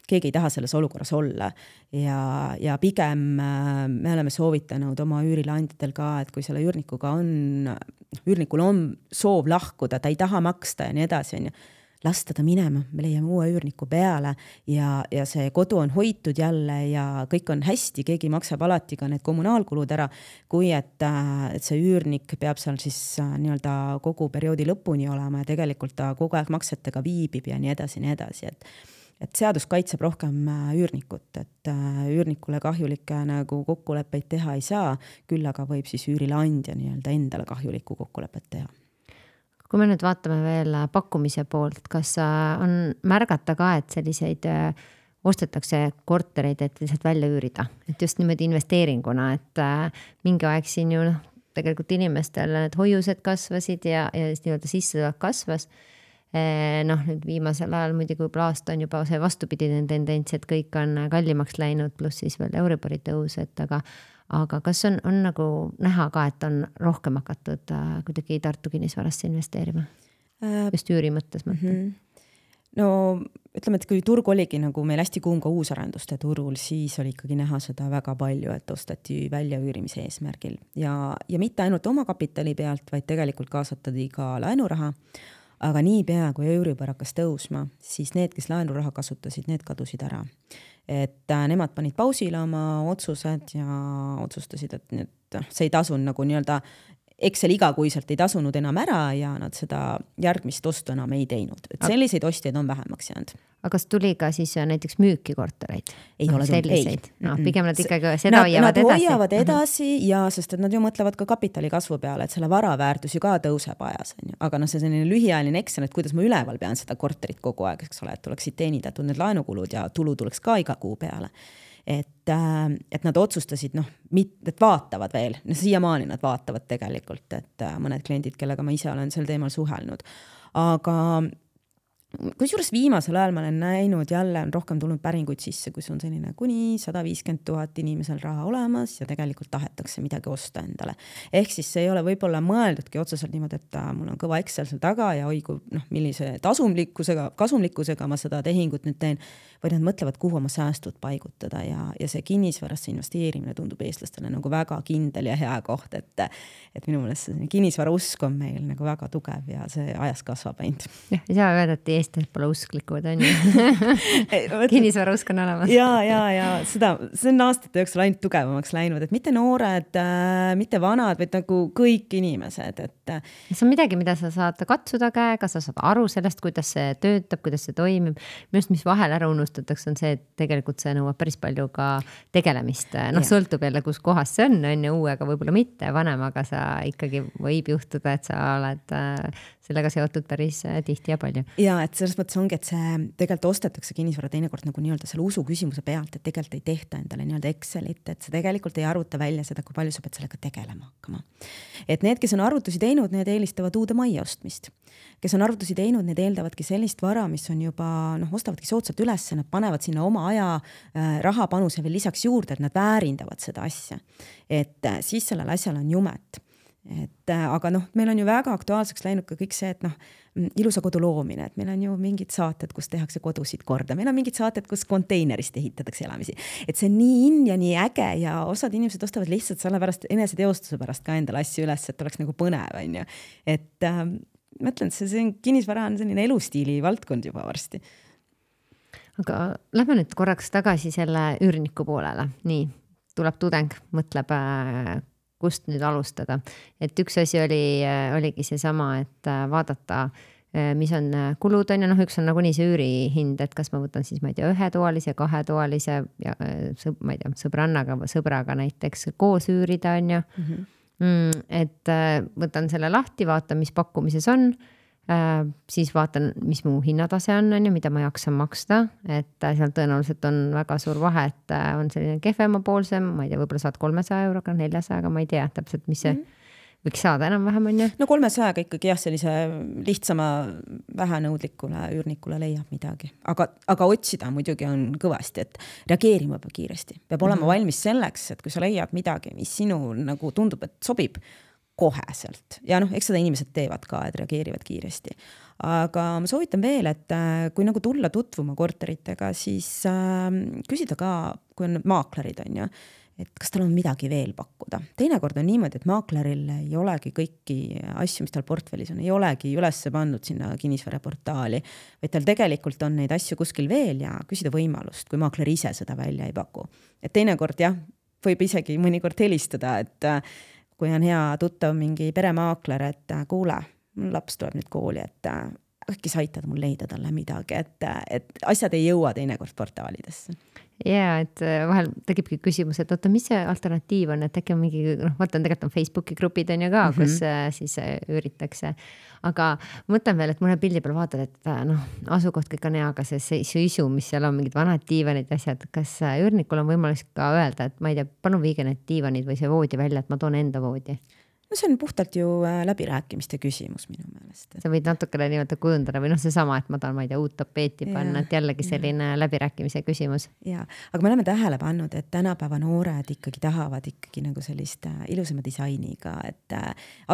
keegi ei taha selles olukorras olla ja pigem me oleme soovitanud oma üürileandjatel ka, et kui selle üürnikul on soov lahkuda, ta ei taha maksta ja nii edasi, on ju, lasta ta minema, me leiame uue üürniku peale ja see kodu on hoitud jälle ja kõik on hästi, keegi maksab alati ka need kommunaalkulud ära, kui et see üürnik peab seal siis nii-öelda kogu perioodi lõpuni olema ja tegelikult ta kogu aeg maksetega viibib ja nii edasi, et seadus kaitseb rohkem üürnikut, et üürnikule kahjulikke nagu kokkuleppeid teha ei saa, küll aga võib siis üürileandja nii-öelda endale kahjulikku kokkulepet teha. Kui me nüüd vaatame veel pakkumise poolt, kas on märgata ka, et selliseid ostetakse kortereid, et lihtsalt välja üürida, et just niimoodi investeeringuna, et mingi aeg siin ju tegelikult inimestel need hoiused kasvasid ja nii-öelda sissetulek kasvas. Nüüd viimasel ajal muidugi kui aasta on juba see vastupidine tendents, et kõik on kallimaks läinud, pluss siis veel Euribori tõus, aga kas on nagu näha ka, et on rohkem hakatud kuidagi Tartu kinnisvarasse investeerima? Just üüri mõttes mõtlen. No ütleme, et kui turg oligi nagu meil hästi kuum ka uusarenduste turul, siis oli ikkagi näha seda väga palju, et ostati välja üürimise eesmärgil ja mitte ainult oma kapitali pealt, vaid tegelikult kaasatati ka laenuraha. Aga nii pea, kui Euribor hakkas tõusma, siis need, kes laenuraha kasutasid, need kadusid ära. Et nemad panid pausile oma otsused ja otsustasid, et see ei tasun nagu nii-öelda Excel igakuiselt ei tasunud enam ära ja nad seda järgmist ostu enam ei teinud. Et selliseid ostjaid on vähemaks jäänud. Aga kas tuli ka siis näiteks müüki kortereid? Ei ole selliseid. Pigem nad ikkagi seda hoiavad edasi. Nad hoiavad edasi ja sest et nad ju mõtlevad ka kapitali kasvu peale, et selle varaväärtus ju ka tõuseb ajas. Aga see selline lühiajaline Excel, et kuidas ma üleval pean seda korterit kogu aeg, eks ole, et tuleksid teenindatud need laenukulud ja tulu tuleks ka iga kuu peale. Et nad otsustasid, et vaatavad veel, siiamaani nad vaatavad tegelikult, et mõned kliendid, kellega ma ise olen sel teemal suhelnud. Aga kusjuures viimasel ajal ma olen näinud, jälle on rohkem tulnud päringuid sisse, kus on selline kuni 150 000 inimesel raha olemas ja tegelikult tahetakse midagi osta endale. Ehk siis see ei ole võib-olla mõeldudki otseselt niimoodi, et mul on kõva Excel seal taga ja oigu, millise kasumlikkusega ma seda tehingut nüüd teen, vaid nad mõtlevad, kuhu oma säästud paigutada ja see kinnisvarasse investeerimine tundub eestlastele nagu väga kindel ja hea koht, et minu meelest see kinnisvara usk on meil nagu väga tugev ja see ajas kasvab ainult. Jah, ei saa öelda, et eestlased pole usklikud, on ju. Kinnisvara usk on olemas. Ja see on aastate jooksul ainult tugevamaks läinud, et mitte noored, mitte vanad, vaid nagu kõik inimesed. See on midagi, mida sa saad katsuda käega, sa saad aru sellest, kuidas see töötab, kuidas see toimib. Minust, mis vahel ära unustatakse, on see, et tegelikult see nõuab päris palju ka tegelemist. Sõltub jälle, kus kohas see on ju uuega, võib-olla mitte vanemaga sa ikkagi võib juhtuda, et sa sellega seotud päris tihti ja palju. Ja et selles mõttes ongi, et see tegelikult ostetakse kinnisvara teinekord nagu nii-öelda selle usu küsimuse pealt, et tegelikult ei tehta endale nii-öelda Excelit, et see tegelikult ei arvuta välja seda, kui palju sa pead sellega tegelema hakkama. Et need, kes on arvutusi teinud, need eelistavad uude majja ostmist. Kes on arvutusi teinud, need eeldavadki sellist vara, mis on juba, ostavadki soodsalt üles, nad panevad sinna oma aja rahapanuse veel lisaks juurde, et nad väärindavad seda asja. Et siis sellel asjal on jumet. Aga meil on ju väga aktuaalseks läinud ka kõik see, et ilusa kodu loomine, et meil on ju mingid saated, kus tehakse kodusid korda, meil on mingid saated, kus konteinerist ehitatakse elamisi, et see on nii in ja nii äge ja osad inimesed ostavad lihtsalt selle pärast, eneseteostuse pärast ka endale asju üles, et oleks nagu põnev, on ju. Et ma ütlen, et see on kinnisvara on selline elustiili valdkond juba varsti. Aga lähme nüüd korraks tagasi selle üürniku poolele. Nii, tuleb tudeng, mõtleb kust nüüd alustada. Et üks asi oligi seesama, et vaadata, mis on kulud on ja üks on nagunii see üürihind, et kas ma võtan siis, ma ei tea, ühetoalise, kahetoalise ja ma ei tea, sõbraga näiteks koos üürida on ju. Et võtan selle lahti, vaatan, mis pakkumises on, siis vaatan, mis mu hinnatase on ju, mida ma jaksan maksta, et seal tõenäoliselt on väga suur vahe, et on selline kehvema poolsem, ma ei tea, võib-olla saad 300 euroga, 400, ma ei tea täpselt, mis see võiks saada enam-vähem on ju. No 300 ikkagi jah, sellise lihtsama vähenõudlikule üürnikule leiab midagi, aga otsida muidugi on kõvasti, et reageerima peab kiiresti, peab olema valmis selleks, et kui sa leiad midagi, mis sinu nagu tundub, et sobib koheselt ja eks seda inimesed teevad ka, et reageerivad kiiresti. Aga ma soovitan veel, et kui nagu tulla tutvuma korteritega, siis küsida ka, kui on maaklerid on ju, et kas tal on midagi veel pakkuda. Teinekord on niimoodi, et maakleril ei olegi kõiki asju, mis tal portfellis on, ei olegi üles pandud sinna kinnisvaraportaali, vaid tal tegelikult on neid asju kuskil veel ja küsida võimalust, kui maakler ise seda välja ei paku. Et teinekord jah, võib isegi mõnikord helistada, et kui on hea tuttav mingi peremaakler, et kuule, laps tuleb nüüd kooli, et äkki sa aitad mul leida talle midagi, et asjad ei jõua teinekord portaalidesse. Ja, et vahel tegibki küsimus, et oota, mis see alternatiiv on, et äkki on mingi, vaatan, tegelikult on Facebooki grupid on ju ka, kus siis üüritakse. Aga mõtlen veel, et mõne pildi peal vaatad, et asukoht kõik on hea, aga see isu, mis seal on, mingid vanad diivanid asjad, kas üürnikul on võimalik ka öelda, et ma ei tea, palun viige need diivanid või see voodi välja, et ma toon enda voodi? No see on puhtalt ju läbirääkimiste küsimus minu meelest. Sa võid natukene niimoodi kujundada või seesama, et ma tahan, ma ei tea, uut tapeeti panna, et jällegi selline läbirääkimise küsimus. Ja, aga me oleme tähele pannud, et tänapäeva noored ikkagi tahavad ikkagi nagu sellist ilusama disainiga, et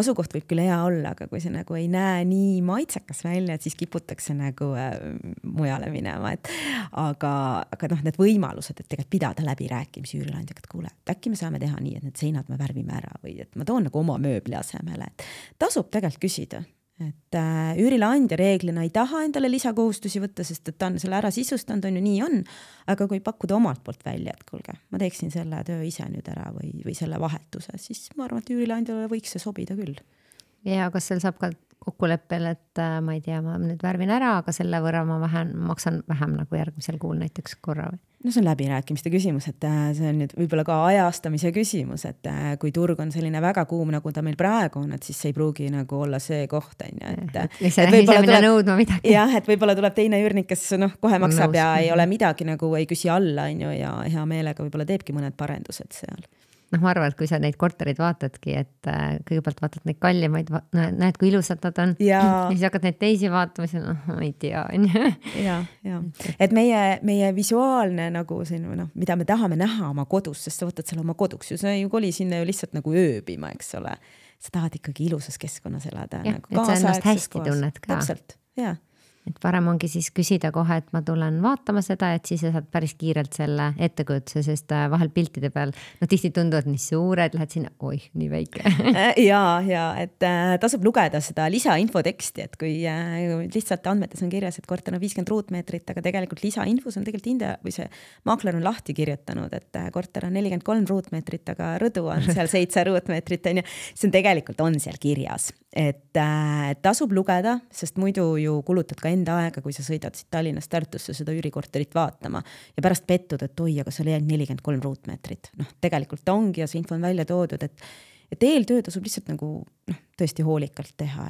asukoht võib küll hea olla, aga kui see nagu ei näe nii maitsekas välja, et siis kiputakse nagu mujale minema, aga need võimalused, et tegelikult pidada läbirääkimisi üürilandjaga, et kuule, äkki me saame teha nii, et need seinad me värvime ära või et ma toon nagu oma mööbli asemele, et tasub tegelikult küsida, et üürileandja reeglina ei taha endale lisakohustusi võtta, sest et ta on selle ära sisustanud, on ju nii on, aga kui pakkuda omalt poolt välja, et kuulge, ma teeksin selle töö ise nüüd ära või selle vahetuse, siis ma arvan, et üürileandjale võiks see sobida küll. Ja kas seal saab ka kokkuleppel, et ma ei tea, ma nüüd värvin ära, aga selle võrra ma maksan vähem nagu järgmisel kuul näiteks korra või? No see on läbirääkimiste küsimus, et see on nüüd võib-olla ka ajastamise küsimus, et kui turg on selline väga kuum, nagu ta meil praegu on, et siis see ei pruugi nagu olla see koht, on ju. Ise minna nõudma midagi. Jah, et võib-olla tuleb teine üürnik, kes kohe maksab ja ei ole midagi nagu ei küsi alla, on ju, ja hea meelega võib-olla teebki mõned parendused seal. Ma arvan, et kui sa neid korterid vaatadki, et kõigepealt vaatad neid kallimaid, näed, kui ilusad nad on. Ja siis hakkad neid teisi vaatama, siis ma ei tea. Ja. Et meie visuaalne nagu siin, mida me tahame näha oma kodus, sest sa võtad selle oma koduks ju, sa ei koli sinna ju lihtsalt nagu ööbima, eks ole. Sa tahad ikkagi ilusas keskkonnas elada. Ja, nagu et sa ennast hästi tunned ka. Täpselt, jah. Et parem ongi siis küsida kohe, et ma tulen vaatama seda, et siis saad päris kiirelt selle ettekujutuse, sest vahel piltide peal tihti tunduvad nii suured, lähed sinna, oih, nii väike. Ja, et tasub lugeda seda lisainfoteksti, et kui lihtsalt andmetes on kirjas, et korter on 50 ruutmeetrit, aga tegelikult lisainfos on tegelikult või see maakler on lahti kirjutanud, et korter on 43 ruutmeetrit, aga rõdu on seal 7 ruutmeetrit, see on tegelikult on seal kirjas. Et tasub lugeda, sest muidu ju kulutad ka enda aega, kui sa sõidad siit Tallinnast Tartusse seda üürikorterit vaatama ja pärast pettud, et oi, aga seal jäi 43 ruutmeetrit. Tegelikult ta ongi ja see info on välja toodud, et eeltöö tasub lihtsalt nagu tõesti hoolikalt teha,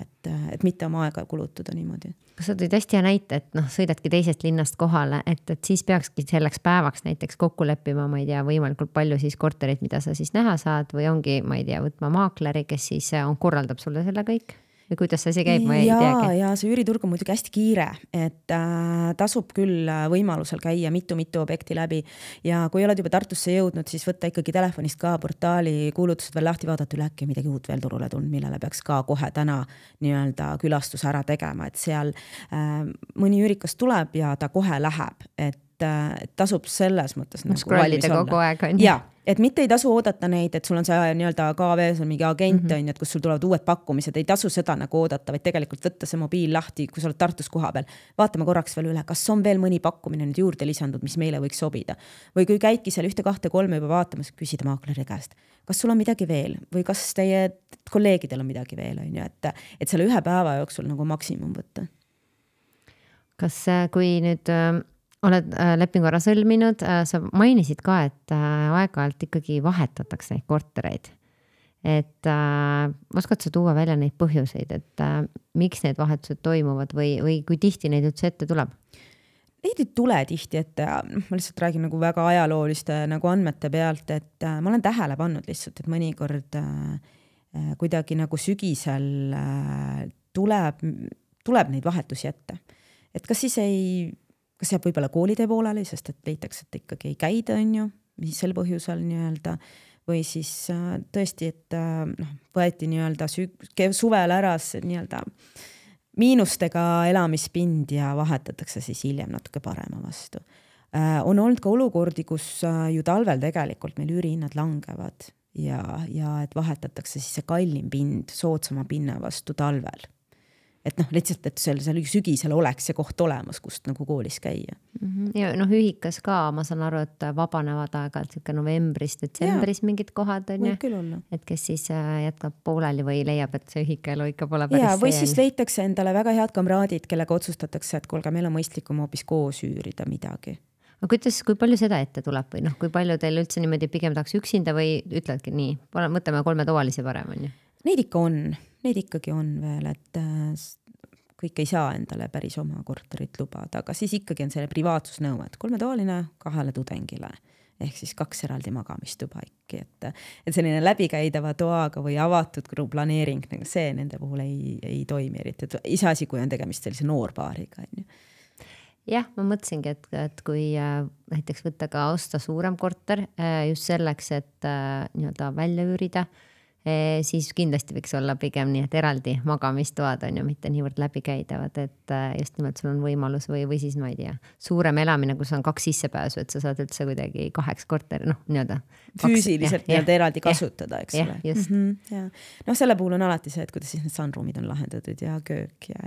et mitte oma aega kulutada niimoodi. Kas sa tõid hästi hea näite, et sõidadki teisest linnast kohale, et siis peakski selleks päevaks näiteks kokku leppima, ma ei tea, võimalikult palju siis korterit, mida sa siis näha saad või ongi, ma ei tea, võtma maakleri, kes siis korraldab sulle selle kõik? Või kuidas see käib, ma ei teagi? Ja see üüriturg on muidugi hästi kiire, et tasub küll võimalusel käia mitu objekti läbi ja kui oled juba Tartusse jõudnud, siis võtta ikkagi telefonist ka portaali kuulutused veel lahti vaadata üle, äkki midagi uut veel turule tulnud, millele peaks ka kohe täna nii-öelda külastus ära tegema, et seal mõni üürikas tuleb ja ta kohe läheb, et tasub selles mõttes nagu valmis olla. Kogu aeg on. Ja, et mitte ei tasu oodata neid, et sul on see nii-öelda KV-s on mingi agent, et kus sul tulevad uued pakkumised, ei tasu seda nagu oodata, vaid tegelikult võtta see mobiil lahti, kui sa oled Tartus koha peal. Vaatame korraks veel üle, kas on veel mõni pakkumine nüüd juurde lisandud, mis meile võiks sobida. Või kui käidki seal 1, 2, 3 juba vaatamas, küsida maakleri käest, kas sul on midagi veel või kas teie kolleegidel on midagi veel, et selle ühe päeva jooksul nagu maksimum võtta. Kas kui nüüd oled lepingu ära sõlminud, sa mainisid ka, et aeg-ajalt ikkagi vahetatakse neid kortereid. Et oskad sa tuua välja neid põhjuseid, et miks need vahetused toimuvad või kui tihti neid üldse ette tuleb? Neid ei tule tihti ette, ma lihtsalt räägin nagu väga ajalooliste nagu andmete pealt, et ma olen tähele pannud lihtsalt, et mõnikord kuidagi nagu sügisel tuleb neid vahetusi ette. Et kas jääb võib-olla koolide pooleli, sest et leitakse, et ikkagi ei käida, on ju, mis sel põhjusel nii-öelda, või siis tõesti, et võeti nii-öelda suvel ära nii-öelda miinustega elamispind ja vahetatakse siis hiljem natuke parema vastu. On olnud ka olukordi, kus ju talvel tegelikult meil üürihinnad langevad ja et vahetatakse siis see kallim pind soodsama pinna vastu talvel. Et lihtsalt, et seal sügisel oleks see koht olemas, kust nagu koolis käia. Ja ühikas ka, ma saan aru, et vabanevad aeg-ajalt novembris, detsembris mingid kohad on ju, et kes siis jätkab pooleli või leiab, et see ühikaelu ikka pole päris või siis leitakse endale väga head kamraadid, kellega otsustatakse, et kuulge, meil on mõistlikum hoopis koos üürida midagi. Aga kui palju seda ette tuleb või kui palju teil üldse niimoodi pigem tahaks üksinda või ütledki nii, mõtleme 3 tovalisi parem on ju? Neid ikkagi on veel, et kõik ei saa endale päris oma korterit lubada, aga siis ikkagi on selle privaatsusnõue, et 3 tovaline 2 tudengile, ehk siis 2 eraldi magamistuba ikki, et selline läbikäidava toaga või avatud planeering, see nende puhul ei toimi eriti, et iseasi, kui on tegemist sellise noorpaariga. Jah, ma mõtlesingi, et kui näiteks võtta ka osta suurem korter just selleks, et nii-öelda välja üürida, siis kindlasti võiks olla pigem nii, et eraldi magamistoad on ju mitte niivõrd läbikäidavad, et just nimelt sul on võimalus või siis ma ei tea, suurem elamine, kus on 2 sissepääsu, et sa saad üldse kuidagi 2 korteri, nii-öelda füüsiliselt nii-öelda eraldi kasutada, eks ole. Just. Selle puhul on alati see, et kuidas siis need sunroomid on lahendatud ja köök ja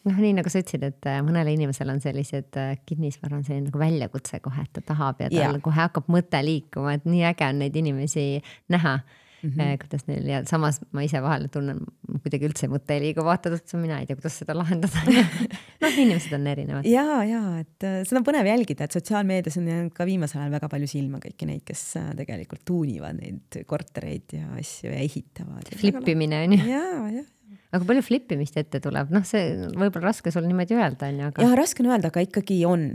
nii nagu sa ütlesid, et mõnele inimesel on sellised kinnisvara on selline nagu väljakutse kohe, et ta tahab ja tal kohe hakkab mõte liikuma, et nii äge on neid inimesi näha, kuidas neil ja samas ma ise vahel tunnen kuidagi üldse mõte ei liigu, vaatad, et mina ei tea, kuidas seda lahendada. Inimesed on erinevad. Ja, et seda on põnev jälgida, et sotsiaalmeedias on ka viimasel ajal väga palju silma kõiki neid, kes tegelikult tuunivad neid kortereid ja asju ja ehitavad. Flippimine on ju. Ja. Aga palju flippimist ette tuleb? See võib-olla raske sul niimoodi öelda. Ja raske on öelda, aga ikkagi on.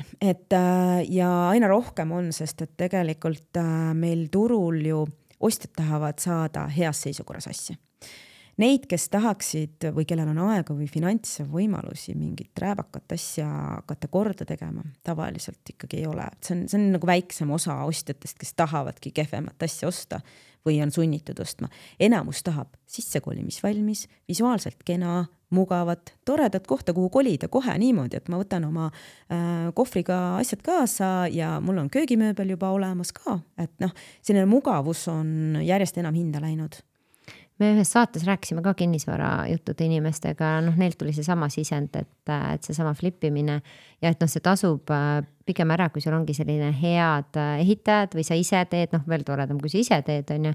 Ja aina rohkem on, sest et tegelikult meil turul ju ostjad tahavad saada heas seisukorras asja. Neid, kes tahaksid või kellel on aega või finantse võimalusi mingit rääbakat asja hakata korda tegema, tavaliselt ikkagi ei ole. See on nagu väiksem osa ostjatest, kes tahavadki kehvemat asja osta või on sunnitud ostma. Enamus tahab sissekolimisvalmis, visuaalselt kena, mugavat, toredat kohta, kuhu kolida kohe niimoodi, et ma võtan oma kohvriga asjad kaasa ja mul on köögimööbel juba olemas ka. Et selline mugavus on järjest enam hinda läinud. Me ühes saates rääkisime ka kinnisvara juttude inimestega, neilt tuli see sama sisend, et see sama flippimine ja et see tasub pigem ära, kui sul ongi selline head ehitajad või sa ise teed, veel toredam, kui sa ise teed, on ju,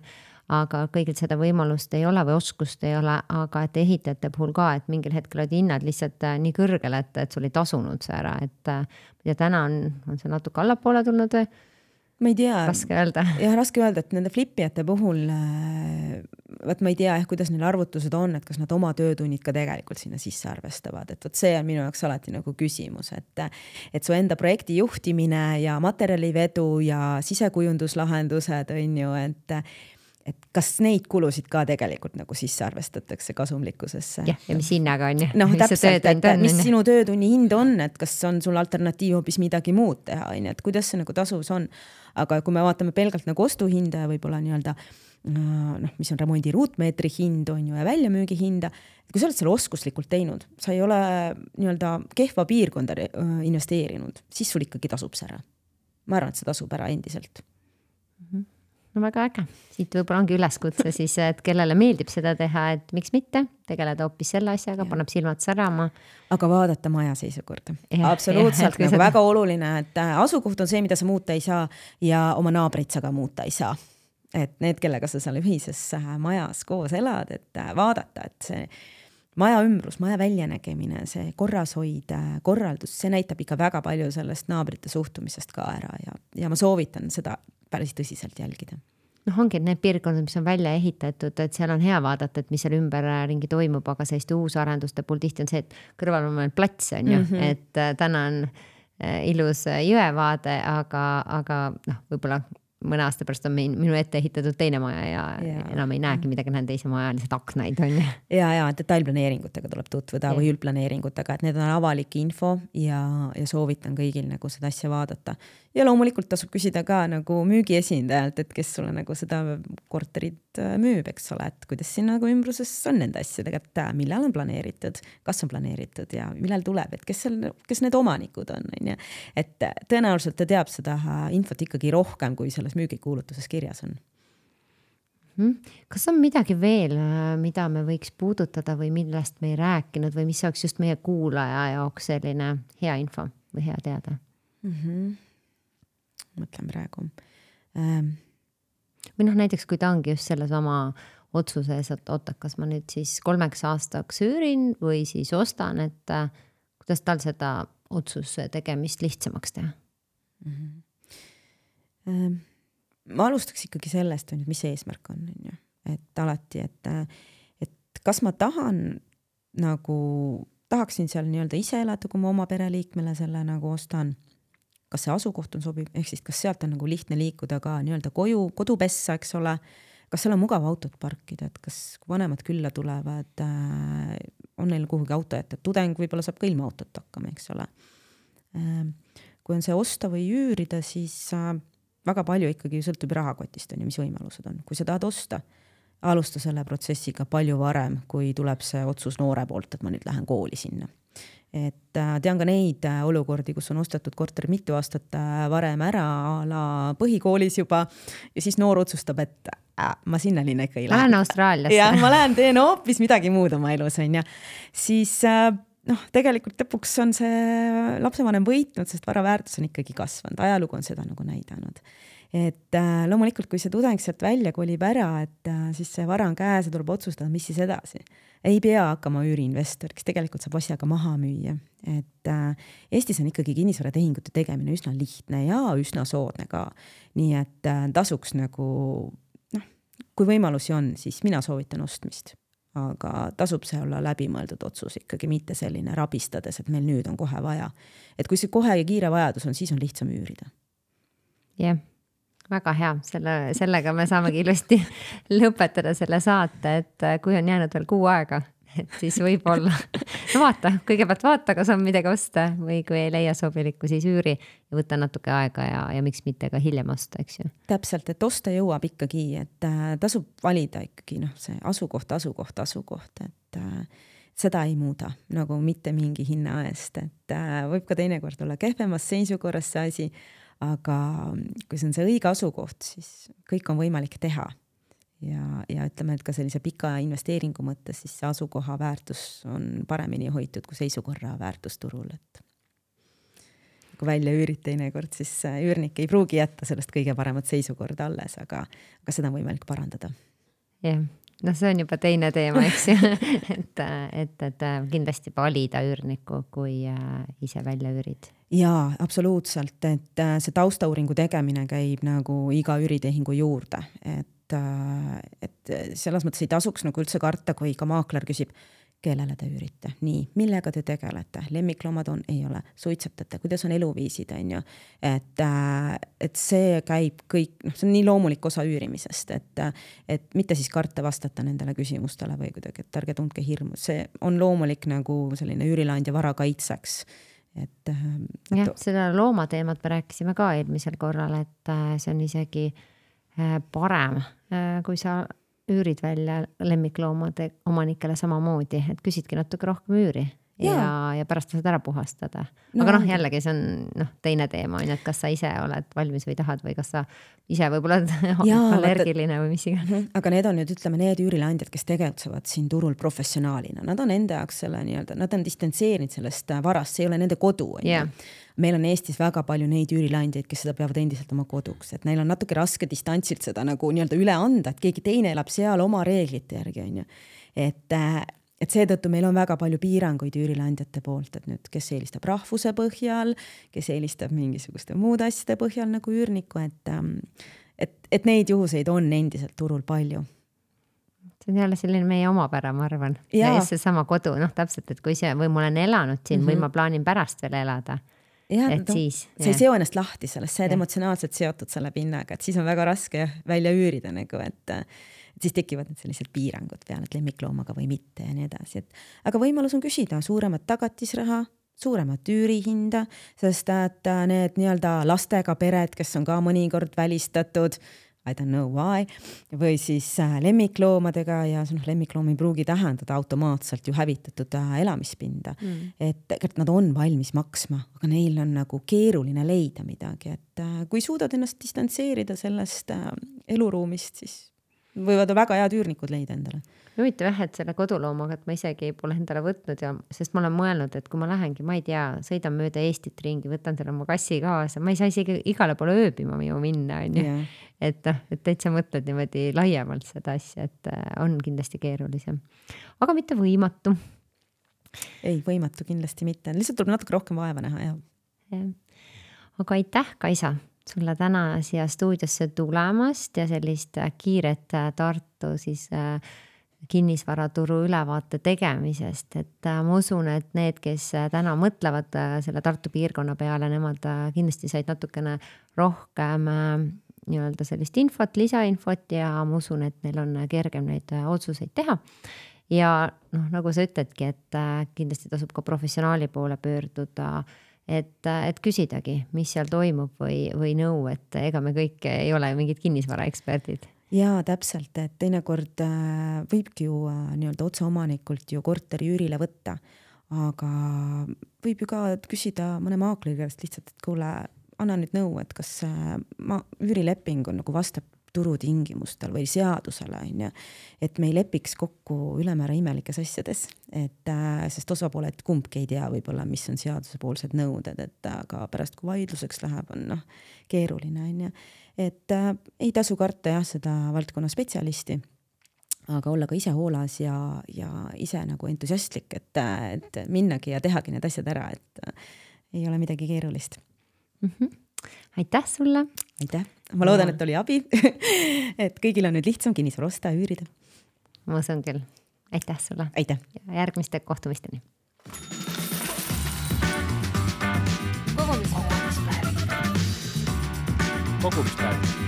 aga kõigil seda võimalust ei ole või oskust ei ole, aga et ehitajate puhul ka, et mingil hetkel olid hinnad lihtsalt nii kõrgel, et sul ei tasunud see ära, et ja täna on see natuke allapoole tulnud või? ma ei tea. Raske öelda. Jah, raske öelda, et nende flipijate puhul võt ma ei tea, kuidas neil arvutused on, et kas nad oma töötunnid ka tegelikult sinna sisse arvestavad, et võt see on minu jaoks alati nagu küsimus, et su enda projekti juhtimine ja materjalivedu ja sisekujunduslahendused on ju, et kas neid kulusid ka tegelikult nagu sisse arvestatakse kasumlikkusesse. Ja mis hinnaga on ju. Noh, täpselt, et mis sinu töötunni hind on, et kas on sul alternatiiv hoopis midagi muud teha, et kuidas see nagu tasuvus on. Aga kui me vaatame pelgalt nagu ostuhinda ja võib-olla nii-öelda, mis on remondi ruutmeetri hind on ju ja väljamüügi hinda, kui sa oled selle oskuslikult teinud, sa ei ole nii-öelda kehva piirkonda investeerinud, siis sul ikkagi tasub see ära. Ma arvan, et see tasub ära endiselt. No väga äge. Siit võib-olla ongi üleskutse siis, et kellele meeldib seda teha, et miks mitte tegeleda hoopis selle asjaga, paneb silmad särama. Aga vaadata maja seisukorda. Absoluutselt nagu väga oluline, et asukoht on see, mida sa muuta ei saa ja oma naabrit sa ka muuta ei saa. Et need, kellega sa seal ühises majas koos elad, et vaadata, et see maja ümbrus, maja väljanägemine, see korrashoid, korraldus, see näitab ikka väga palju sellest naabrite suhtumisest ka ära ja ma soovitan seda päris tõsiselt jälgida. Noh, ongi need piirkonnad, mis on välja ehitatud, et seal on hea vaadata, et mis seal ümberringi toimub, aga selliste uusarenduste puhul tihti on see, et kõrval on meil plats on ju, et täna on ilus jõevaade, aga noh, võib-olla mõne aasta pärast on minu ette ehitatud teine maja ja enam ei näegi midagi, näen teise maja lihtsalt aknaid on ju. Ja detailplaneeringutega tuleb tutvuda või üldplaneeringutega, et need on avalik info ja soovitan kõigil nagu seda asja vaadata. Ja loomulikult tasub küsida ka nagu müügiesindajalt, et kes sulle nagu seda korterit müüb, eks ole, et kuidas siin nagu ümbruses on nende asjadega, et millal on planeeritud, kas on planeeritud ja millal tuleb, et kes need omanikud on. Et tõenäoliselt ta teab seda infot ikkagi rohkem, kui selles müügikuulutuses kirjas on. Kas on midagi veel, mida me võiks puudutada või millest me ei rääkinud või mis oleks just meie kuulaja jaoks selline hea info või hea teada? Mõtlen praegu. Või noh, näiteks kui ta ongi just selles oma otsuses, et oota, kas ma nüüd siis 3 aastaks üürin või siis ostan, et kuidas tal seda otsuse tegemist lihtsamaks teha? Ma alustaks ikkagi sellest, mis see eesmärk on. Et alati, et kas ma tahaksin seal nii-öelda ise elada, kui ma oma pereliikmele selle nagu ostan, kas see asukoht on sobib, ehk siis kas sealt on nagu lihtne liikuda ka nii-öelda kodupessa, eks ole, kas seal on mugav autot parkida, et kas vanemad külla tulevad, on neil kuhugi auto jätta, tudeng võib-olla saab ka ilma autot hakkama, eks ole. Kui on see osta või üürida, siis väga palju ikkagi sõltub rahakotist on ja mis võimalused on. Kui sa tahad osta, alusta selle protsessiga palju varem, kui tuleb see otsus noore poolt, et ma nüüd lähen kooli sinna. Et tean ka neid olukordi, kus on ostetud korter mitu aastat varem ära põhikoolis juba ja siis noor otsustab, et ma sinna linna ikka ei lähe. Lähen Austraaliasse. Ja ma lähen teen hoopis midagi muud oma elus on ja siis tegelikult lõpuks on see lapsevanem võitnud, sest vara väärtus on ikkagi kasvanud. Ajalugu on seda nagu näidanud. Et loomulikult, kui see tudeng sealt välja kolib ära, et siis see vara on käes ja tuleb otsustada, mis siis edasi. Ei pea hakkama üüriinvestor, kes tegelikult saab asjaga maha müüa. Et Eestis on ikkagi kinnisvaratehingute tegemine üsna lihtne ja üsna soodne ka. Nii et tasuks nagu, kui võimalusi on, siis mina soovitan ostmist. Aga tasub see olla läbimõeldud otsus ikkagi, mitte selline rabistades, et meil nüüd on kohe vaja. Et kui see kohe ja kiire vajadus on, siis on lihtsam üürida. Jah. Väga hea, sellega me saamegi ilusti lõpetada selle saate, et kui on jäänud veel 6 aega, et siis võib-olla vaata, kõigepealt vaata, kas on midagi osta või kui ei leia sobilikku, siis üüri ja võtta natuke aega ja miks mitte ka hiljem osta, eks ju. Täpselt, et osta jõuab ikkagi, et tasub valida ikkagi see asukoht, et seda ei muuda nagu mitte mingi hinna eest, et võib ka teinekord olla kehvemas seisukorras see asi, aga kui see on see õige asukoht, siis kõik on võimalik teha. Ja ütleme, et ka sellise pika investeeringu mõttes, siis see asukoha väärtus on paremini hoitud kui seisukorra väärtus turul. Et kui välja üürid teinekord, siis üürnik ei pruugi jätta sellest kõige paremat seisukorda alles, aga seda on võimalik parandada. Jah, noh, see on juba teine teema, eks ju, et kindlasti valida üürnikku, kui ise välja üürid. Jaa, absoluutselt, et see taustauuringu tegemine käib nagu iga üüritehingu juurde, et selles mõttes ei tasuks nagu üldse karta, kui ka maakler küsib, kellele te üürite, nii, millega te tegelete, lemmikloomad on, ei ole, suitsetate, kuidas on eluviisid, on ju, et see käib kõik, noh, see on nii loomulik osa üürimisest, et mitte siis karta vastata nendele küsimustele või kuidagi, et ärge tundke hirmu, see on loomulik nagu selline üürileandja vara kaitseks. Jah, seda loomateemat me rääkisime ka eelmisel korral, et see on isegi parem, kui sa üürid välja lemmikloomade omanikele samamoodi, et küsidki natuke rohkem üüri ja pärast saad ära puhastada. Aga noh, jällegi see on teine teema, et kas sa ise oled valmis või tahad või kas sa ise võib-olla allergiline või mis iganes. Aga need on nüüd, ütleme, need üürileandjad, kes tegutsevad siin turul professionaalina. Nad on enda jaoks selle nii-öelda, nad on distantseerinud sellest varast, see ei ole nende kodu. Meil on Eestis väga palju neid üürileandjaid, kes seda peavad endiselt oma koduks, et neil on natuke raske distantsilt seda nagu nii-öelda üle anda, et keegi teine elab seal oma reeglite järgi, on ju. Et seetõttu meil on väga palju piiranguid üürileandjate poolt, et nüüd, kes eelistab rahvuse põhjal, kes eelistab mingisuguste muude asjade põhjal nagu üürniku, et neid juhuseid on endiselt turul palju. See on jälle selline meie omapära, ma arvan. Ja see sama kodu, täpselt, et kui see või ma olen elanud siin või ma plaanin pärast veel elada. Ja, siis, sa ei seo ennast lahti sellest, sa oled emotsionaalselt seotud selle pinnaga, et siis on väga raske välja üürida nagu, et siis tekivad need sellised piirangud peale, et lemmikloomaga või mitte ja nii edasi. Aga võimalus on küsida suuremat tagatisraha, suuremat üürihinda, sest et need nii-öelda lastega pered, kes on ka mõnikord välistatud, I don't know why, või siis lemmikloomadega ja lemmikloom ei pruugi tähendada automaatselt ju hävitatud elamispinda. Et nad on valmis maksma, aga neil on nagu keeruline leida midagi, et kui suudad ennast distantseerida sellest eluruumist, siis võivad väga head üürnikud leida endale. Huvitav jah, et selle koduloomaga, et ma isegi pole endale võtnud sest ma olen mõelnud, et kui ma lähengi, ma ei tea, sõidan mööda Eestit ringi, võtan selle oma kassi kaasa, ma ei saa isegi igale poole ööbima ju minna, on ju. Et täitsa mõtled niimoodi laiemalt seda asja, et on kindlasti keerulisem. Aga mitte võimatu. Ei, võimatu kindlasti mitte. Lihtsalt tuleb natuke rohkem vaeva näha. Aga aitäh, Kaisa, sulle täna siia stuudiosse tulemast ja sellist kiiret Tartu siis kinnisvaraturu ülevaate tegemisest, et ma usun, et need, kes täna mõtlevad selle Tartu piirkonna peale, nemad kindlasti said natukene rohkem nii-öelda sellist infot, lisainfot ja ma usun, et neil on kergem neid otsuseid teha. Ja nagu sa ütledki, et kindlasti tasub ka professionaali poole pöörduda, et küsidagi, mis seal toimub või nõu, et ega me kõik ei ole mingid kinnisvaraeksperdid. Jaa, täpselt, et teinekord võibki ju nii-öelda otseomanikult ju korteri üürile võtta, aga võib ju ka küsida mõne maakleri käest lihtsalt, et kuule, anna nüüd nõu, et kas üürileping on nagu vastab turutingimustel või seadusele, et me ei lepiks kokku ülemäära imelikes asjades, sest osapooled kumbki ei tea võib-olla, mis on seadusepoolsed nõuded, et aga pärast kui vaidluseks läheb, on keeruline, et ei tasu karta seda valdkonna spetsialisti, aga olla ka ise hoolas ja ise nagu entusiastlik, et minnagi ja tehagi need asjad ära, et ei ole midagi keerulist. Aitäh sulle! Aitäh! Ma loodan, et oli abi, et kõigil on nüüd lihtsam kinnisvara osta ja üürida. Ma usun küll. Aitäh sulle! Aitäh! Ja järgmiste kohtumisteni! Kogumispäev.